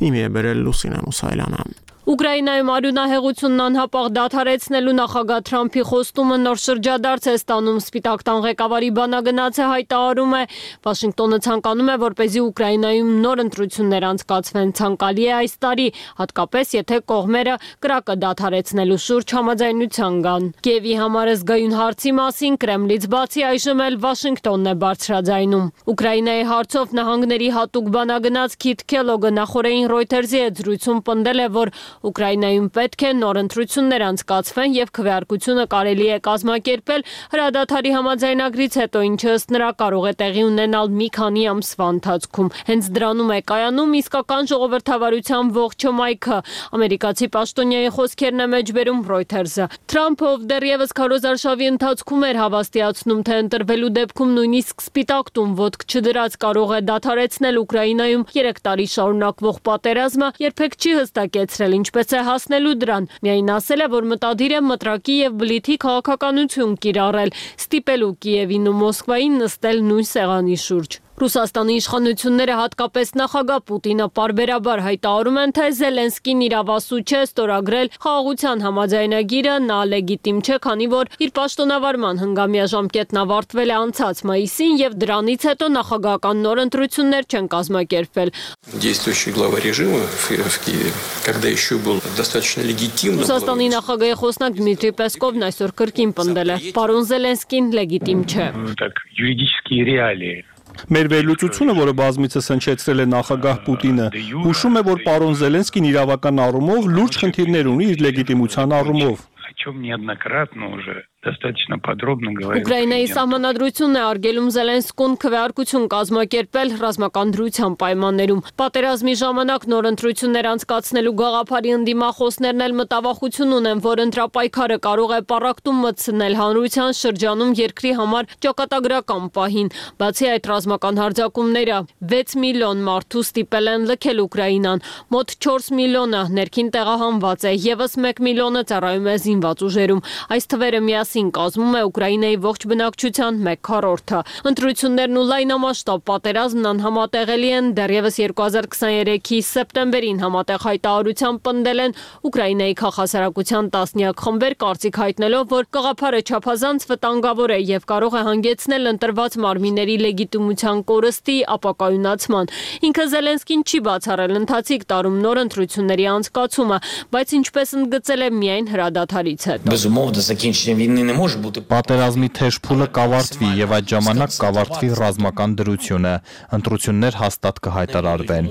իմի է բերել Լուսինե Մուսայելյանը։ Ուկրաինայում արյունահեղությունն անհապաղ դադարեցնելու նախագահ Թրամփի խոստումը նոր շրջադարձ է ստանում։ Սպիտակ տան ղեկավարի բանագնացը հայտարարում է, Վաշինգտոնը ցանկանում է, որպեսզի Ուկրաինայում նոր ընտրություններ անցկացվեն, ցանկալի է այս տարի, հատկապես եթե կողմերը կրակը դադարեցնելու շուրջ համաձայնության գան։ Կիևի համար զգայուն հարցի մասին Կրեմլից բացի այժմ էլ Վաշինգտոնն է բարձրաձայնում։ Ուկրաինայի հարցով նահանգների հատուկ բանագնաց Քիթ Քելոգը նախորդին Reuters-ի հետ զրույցում պնդել է, որ Ուկրաինայում պետք է նոր ընտրություններ անցկացվեն եւ քվեարկությունը կարելի է կազմակերպել հրադադարի համաձայնագրից հետո, ինչը ըստ նրա կարող է տեղի ունենալ մի քանի ամսվա ընթացքում։ Հենց դրանում է կայանում իսկական ժողովրդավարության ողջ հմայքը, ամերիկացի պաշտոնյայի խոսքերն է մեջբերում Reuters-ը։ Թրամփը, ով դեռևս քարոզարշավի ընթացքում էր հավաստիացնում, թե ընտրվելու դեպքում նույնիսկ Սպիտակ տուն ոտք չդրած կարող է դադարեցնել Ուկրաինայում երեք տարի շարունակվող պատերազմը, երբեք չի հստակեցրել ինչպես է հասնելու դրան։ Միայն ասել է, որ մտադիր է մտրակի եւ բլիթի քաղաքականություն կիրառել, ստիպելու Կիևին ու Մոսկվային նստել նույն սեղանի շուրջ։ Ռուսաստանի իշխանությունները, հատկապես նախագահ Պուտինը, պարբերաբար հայտարարում են, թե Զելենսկին իրավասու չէ ստորագրել խաղաղության համաձայնագիրը, նա լեգիտիմ չէ, քանի որ իր պաշտոնավարման հնգամյա ժամկետն ավարտվել է անցած մայիսին եւ դրանից հետո նախագահական նոր ընտրություններ չեն կազմակերպվել։ Действующий глава режима в Киеве, когда еще был достаточно легитимным. Ռուսաստանի նախագահի խոսնակ Դմիտրի Պեսկովն այսօր կրկին պնդել է. Պարոն Զելենսկին լեգիտիմ չէ։ Так, юридические реалии. Մեր վերլուծությունը, որը բազմիցս հնչեցրել է նախագահ Պուտինը, հուշում է, որ պարոն Զելենսկին իրավական առումով լուրջ խնդիրներ ունի իր լեգիտիմության առումով։ О чем неоднократно уже достаточно подробно говорил. Ուկրաինայի սահմանադրությունն է արգելում Զելենսկուն քվեարկություն կազմակերպել ռազմական դրության պայմաններում։ Պատերազմի ժամանակ նոր ընտրություններ անցկացնելու գաղափարի ընդդիմախոսներն էլ մտավախություն ունեն, որ ընտրապայքարը կարող է պառակտում մտցնել հանրության շրջանում երկրի համար ճակատագրական պահին։ Բացի այդ, ռազմական հարձակումները վեց միլիոն մարդու ստիպել են լքել Ուկրաինան։ Մոտ չորս միլիոնը ներքին տեղահանված է, եւս մեկ միլիոնը ծառայում է զինված ուժերում։ Այս թվերը միասին կազմում է Ուկրաինայի ողջ բնակչության մեկ քառորդը։ Ընտրություններն ու լայնամասշտաբ պատերազմն անհամատեղելի են, դեռևս երկու հազար քսաներեքի սեպտեմբերին համատեղ հայտարարությամբ պնդել են Ուկրաինայի քաղաքասարակության տասնյակ խմբեր, կարծիք հայտնելով, որ գաղափարը չափազանց վտանգավոր է եւ կարող է հանգեցնել ընտրված մարմինների լեգիտիմության կորստի, ապակայունացման։ Ինքը Զելենսկին չի բացառել ընթացիկ տարում նոր ընտրությունների անցկացումը, բայց ինչպես ընդգծել է միայն հրադադարից հետո։ Պատերազմի թեժ փուլը կավարտվի եւ այդ ժամանակ կավարտվի ռազմական դրությունը, ընտրություններ հաստատ կհայտարարվեն։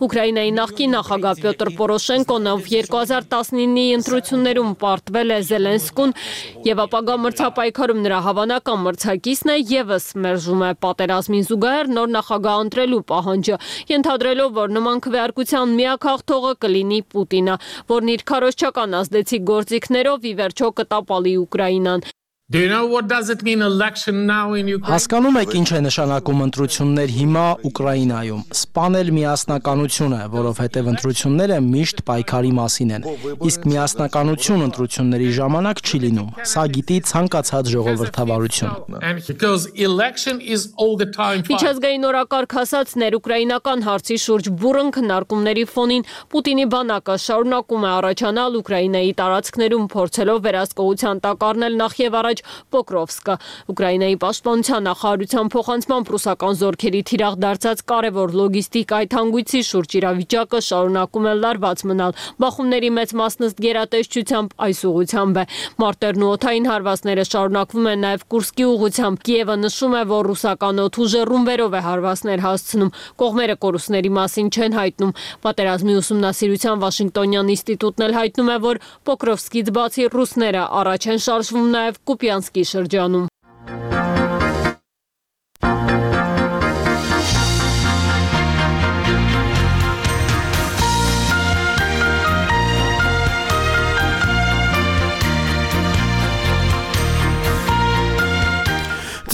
Ուկրաինայի նախկին նախագահ Պյոտր Պորոշենկոն, ով երկու հազար տասնինի ընտրություններում պարտվել է Զելենսկուն եւ ապագա մրցապայքարում նրա հավանական մրցակիցն է, եւս մերժում է պատերազմին զուգահեռ նոր նախագահ ընտրելու պահանջը, ենթադրելով, որ նման քվեարկության միակ հաղթողը կլինի Պուտինը, որն իր քարոզչական ազդեցիկ գործիքներով ի վերջո կտապալի Ուկրաինան։ Do you know what does it mean election now in Ukraine? Հասկանում եք ինչ է նշանակում ընտրություններ հիմա Ուկրաինայում։ Սպանել միասնականությունը, որովհետև ընտրությունները միշտ պայքարի մասին են։ Իսկ միասնականություն ընտրությունների ժամանակ չի լինում։ Սա գիտի ցանկացած ժողովրդավարություն։ And because election is all the time. Միջազգային օրակարգ հասածներ ուկրաինական հարցի շուրջ բուրըն քննարկումների ֆոնին Պուտինի բանակը շարունակում է առաջանալ Ուկրաինայի տարածքներում, փորձելով վերահսկողության տակ առնել նախ եւ առաջ Պոկրովսկը։ Ուկրաինայի պաշտպանության նախարարության փոխանցմամբ ռուսական զորքերի թիրախ դարձած կարևոր լոգիստիկայի թանգույցի շուրջ իրավիճակը շարունակում է լարված մնալ։ Բախումների մեծ մասն ըստ գերատեսչությամբ այս ուղղությամբ է։ Մարտերն ու օդային հարվածները շարունակվում են նաև Կուրսկի ուղղությամբ։ Կիևը նշում է, որ ռուսական օդուժը ռումբերով է հարվածներ հասցնում։ Կողմերը կորուստների մասին չեն հայտնում։ Պատերազմի ուսումնասիրության Վաշինգտոնյան ինստիտուտն էլ հայտնում է, որ Պոկրովսկից բացի ռուսները առաջ են շարժվում նաև Կուպյանսկի շրջանում։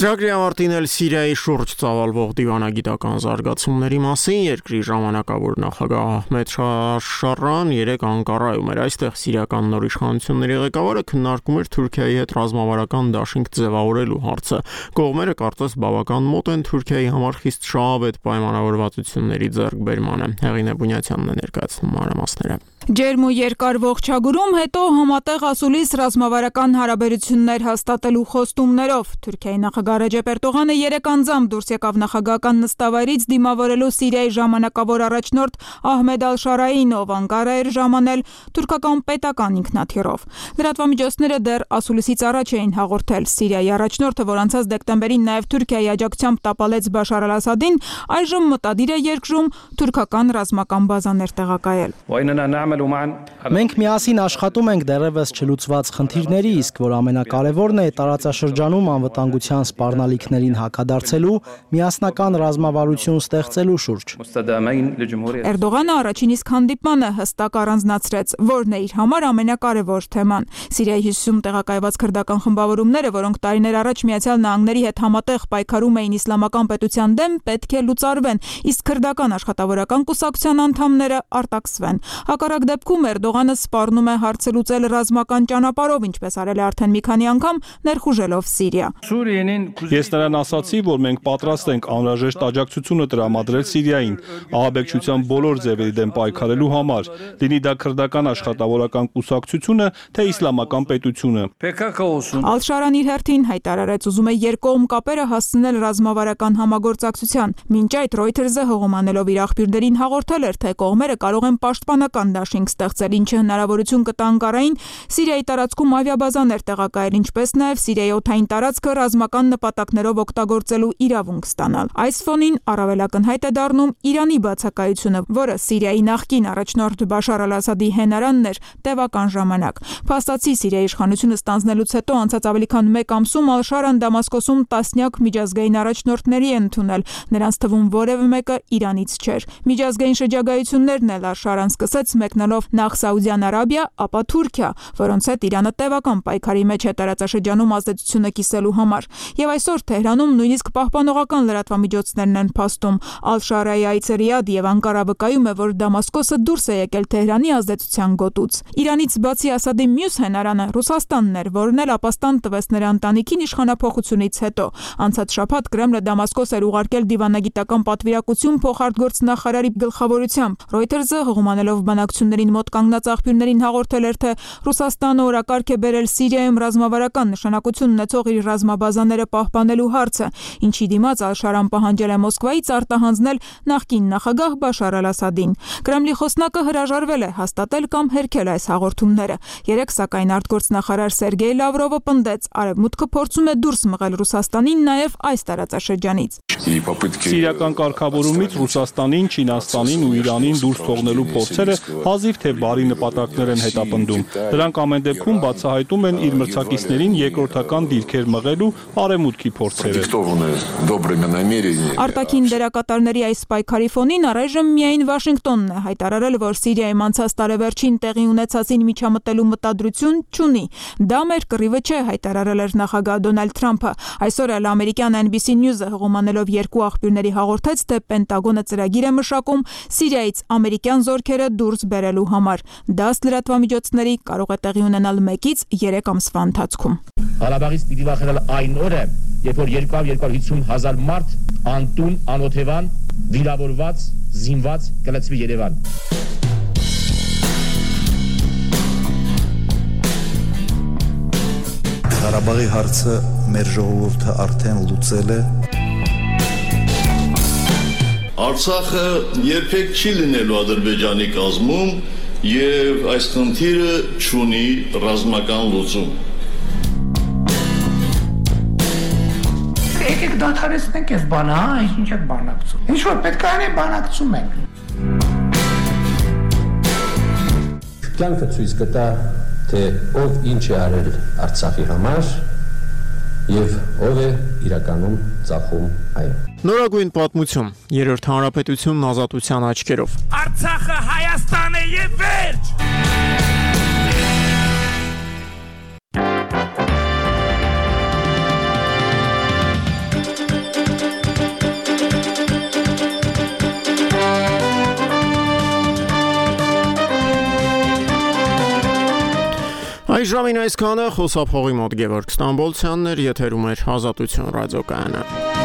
Ծրագրի ավարտին էլ Սիրիայի շուրջ ծավալվող դիվանագիտական զարգացումների մասին երկրի ժամանակավոր նախագահ Ահմեդ Շարան երեկ Անկարայում էր։ Այստեղ սիրիական նոր իշխանությունների ղեկավարը քննարկում էր Թուրքիայի հետ ռազմավարական դաշինք ձևավորելու հարցը։ Կողմերը կարծես բավական մոտ են Թուրքիայի համար խիստ շահավետ պայմանավորվածությունների ձեռքբերմանը։ Հեղինե Բունյացյանն է ներկայացնում մանրամասները։ Ջերմ ու երկար ողջագուրում, հետո համատեղ ասուլիս ռազմավարական հարաբերություններ հաստատելու խոստումներով Թուրքիայի նախագահ Ռեջեփ Էրդողանը երեկ անձամբ դուրս եկավ նախագահական նստավայրից դիմավորելու Սիրիայի ժամանակավոր առաջնորդ Ահմեդ Ալ-Շարային, ով Անկարա էր ժամանել թուրքական պետական ինքնաթիռով։ Լրատվամիջոցները դեռ ասուլիսից առաջ էին հաղորդել Սիրիայի առաջնորդը, որ անցած դեկտեմբերին նաև Թուրքիայի աջակցությամբ տապալեց Բաշար Ալ-Ասադին, այժմ մտադիր է երկրում թուրքական ռազմական բազաներ տեղակայել։ Մենք միասին աշխատում ենք դեռևս չլուծված խնդիրների, իսկ որ ամենակարևորն է տարածաշրջանում անվտանգության սպառնալիքներին հակադարձելու, միասնական ռազմավարություն ստեղծելու շուրջ։ Էրդողանը առաջին իսկ հանդիպմանը հստակ առանձնացրեց, որն է իր համար ամենակարևոր թեման։ Սիրիայի հյուսիսում տեղակայված քրդական խմբավորումները, որոնք տարիներ առաջ Միացյալ Նահանգների հետ համատեղ պայքարում էին իսլամական պետության դեմ, պետք է լուծարվեն, իսկ քրդական աշխատավորական կուսակցության անդամները արտաքսվեն։ Հակառակ դեպքում Էրդողանը սպառնում է հարցը լուծել ռազմական ճանապարհով, ինչպես արել է արդեն մի քանի անգամ, ներխուժելով Սիրիա։ Ես նրան ասացի, որ մենք պատրաստ ենք անհրաժեշտ աջակցությունը տրամադրել Սիրիային ահաբեկչության բոլոր ձևերի դեմ պայքարելու համար, լինի դա քրդական աշխատավորական կուսակցությունը, թե իսլամական պետությունը։ Ալ-Շարան իր հերթին հայտարարեց, ուզում է երկկողմ կապերը հասցնել ռազմավարական համագործակցության։ Մինչ այդ Reuters-ը հողոմանելով իր աղբյուրներին հաղորդել էր, թե կողմերը կարող են պաշտպանական դաշինք ստեղծել, ինչը հնարավորություն կտա Անկարային Սիրիայի տարածքում ավիաբազաներ տեղակայել, ինչպես նաև Սիրիայի օդային տարածքը ռազմական նպատակներով օգտագործելու իրավունք ստանալ։ Այս ֆոնին առավել ակնհայտ է դառնում Իրանի բացակայությունը, որը Սիրիայի նախկին առաջնորդ Բաշար Ալ-Ասադի հենարանն էր տևական ժամանակ։ Փաստացի Սիրիայի իշխանությունը ստանձնելուց հետո անցած ավելի քան մեկ ամսում Ալ-Շարան Դամասկոսում տասնյակ միջազգային առաջնորդների է ընդունել, նրանց թվում որևէ մեկը Իրանից չէր։ Միջազգային շրջագայություններն էլ Ալ-Շարան սկսեց մեկնելով նախ Սաուդյան Արաբիա, ապա Թուրքիա, որոնց հետ Իրանը տևական պայքարի մեջ է տարածաշրջանում ազդեցությունը կիսելու համար։ Եվ այսօր Թեհրանում նույնիսկ պահպանողական լրատվամիջոցներն են փաստում։ Ալ-Շարայի այցը Ռիադ եւ Անկարա վկայում է, որ Դամասկոսը դուրս է եկել Թեհրանի ազդեցության գոտուց։ Իրանից բացի Ասադի մյուս հենարանը Ռուսաստանն էր, որն էլ ապաստան տվեց նրա ընտանիքին իշխանափոխությունից հետո։ Անցած շաբաթ Կրեմլը Դամասկոս էր ուղարկել դիվանագիտական պատվիրակություն փոխարտգործնախարարի գլխավորությամբ։ Reuters-ը հողմանելով բանակցություններին մոտ կանգնած աղբյուրներին հաղորդել էր, թե Ռուսաստանը օրակարգ է բերել Սիրիայում ռազմավարական նշանակություն ունեցող իր ռազմաբազաները պահպանելու հարցը, ինչի դիմաց Ալ-Շարան պահանջել է Մոսկվայից արտահանձնել նախկին նախագահ Բաշար Ալ-Ասադին։ Կրեմլի խոսնակը հրաժարվել է հաստատել կամ հերքել այս հաղորդումները։ Երեկ սակայն արտգործնախարար Սերգեյ Լավրովը պնդեց, Արևմուտքը փորձում է դուրս մղել Ռուսաստանին նաև այս տարածաշրջանից։ Սիրիական կարգավորումից Ռուսաստանին, Չինաստանին ու Իրանին դուրս թողնելու փորձերը հազիվ թե բարի նպատակներ են հետապնդում։ Դրանք ամեն դեպքում բացահայտում են իր մրցակիցներին երկրորդական դիրքեր մղելու արևմուտքի փորձերը։ Արտաքին դերակատարների այս պայքարի ֆոնին առայժմ միայն Վաշինգտոնն է հայտարարել, որ Սիրիայում անցած տարեվերջին տեղի ունեցածին միջամտելու մտադրություն չունի։ Դա մեր կռիվը չէ, հայտարարել էր նախագահ Դոնալդ Թրամփը։ Այսօր էլ ամերիկյան N B C News-ը հողոմանելով երկու աղբյուրների հաղորդեց, թե Պենտագոնը ծրագիր է մշակում Սիրիայից ամերիկյան զորքերը դուրս բերելու համար։ Դա լրատվամիջոցների կարող է տեղի ունենալ մեկից երեք ամսվա ընթացքում։ Ղարաբաղից պիտի վախենալ այն օրը, երբ որ երկու հարյուր հիսուն հազար մարդ անտուն, անօթևան, վիրավորված, զինված կլցվի Երևան։ Ղարաբաղի հարցը մեր ժողովուրդը արդեն լուծել է։ Արցախը երբեք չի լինելու Ադրբեջանի կազմում եւ այս խնդիրը չունի ռազմական լուծում։ Եկեք դադարեցնենք այս բանը, հա, ինչ եք բանակցում։ Ինչ որ պետք է անենք, բանակցում ենք։ Կյանքը ցույց կտա, թե ով ինչ է արել Արցախի համար եւ ով է իրականում ծախում այն։ Նորագույն պատմություն, երրորդ հանրապետությունն ազատության աչքերով։ Արցախը Հայաստան է եւ վերջ։ Այս ժամին այսքանը խոսափողի մոտ Գևորգ Ստամբոլցյանն էր, եթերում էր Ազատություն ռադիոկայանը։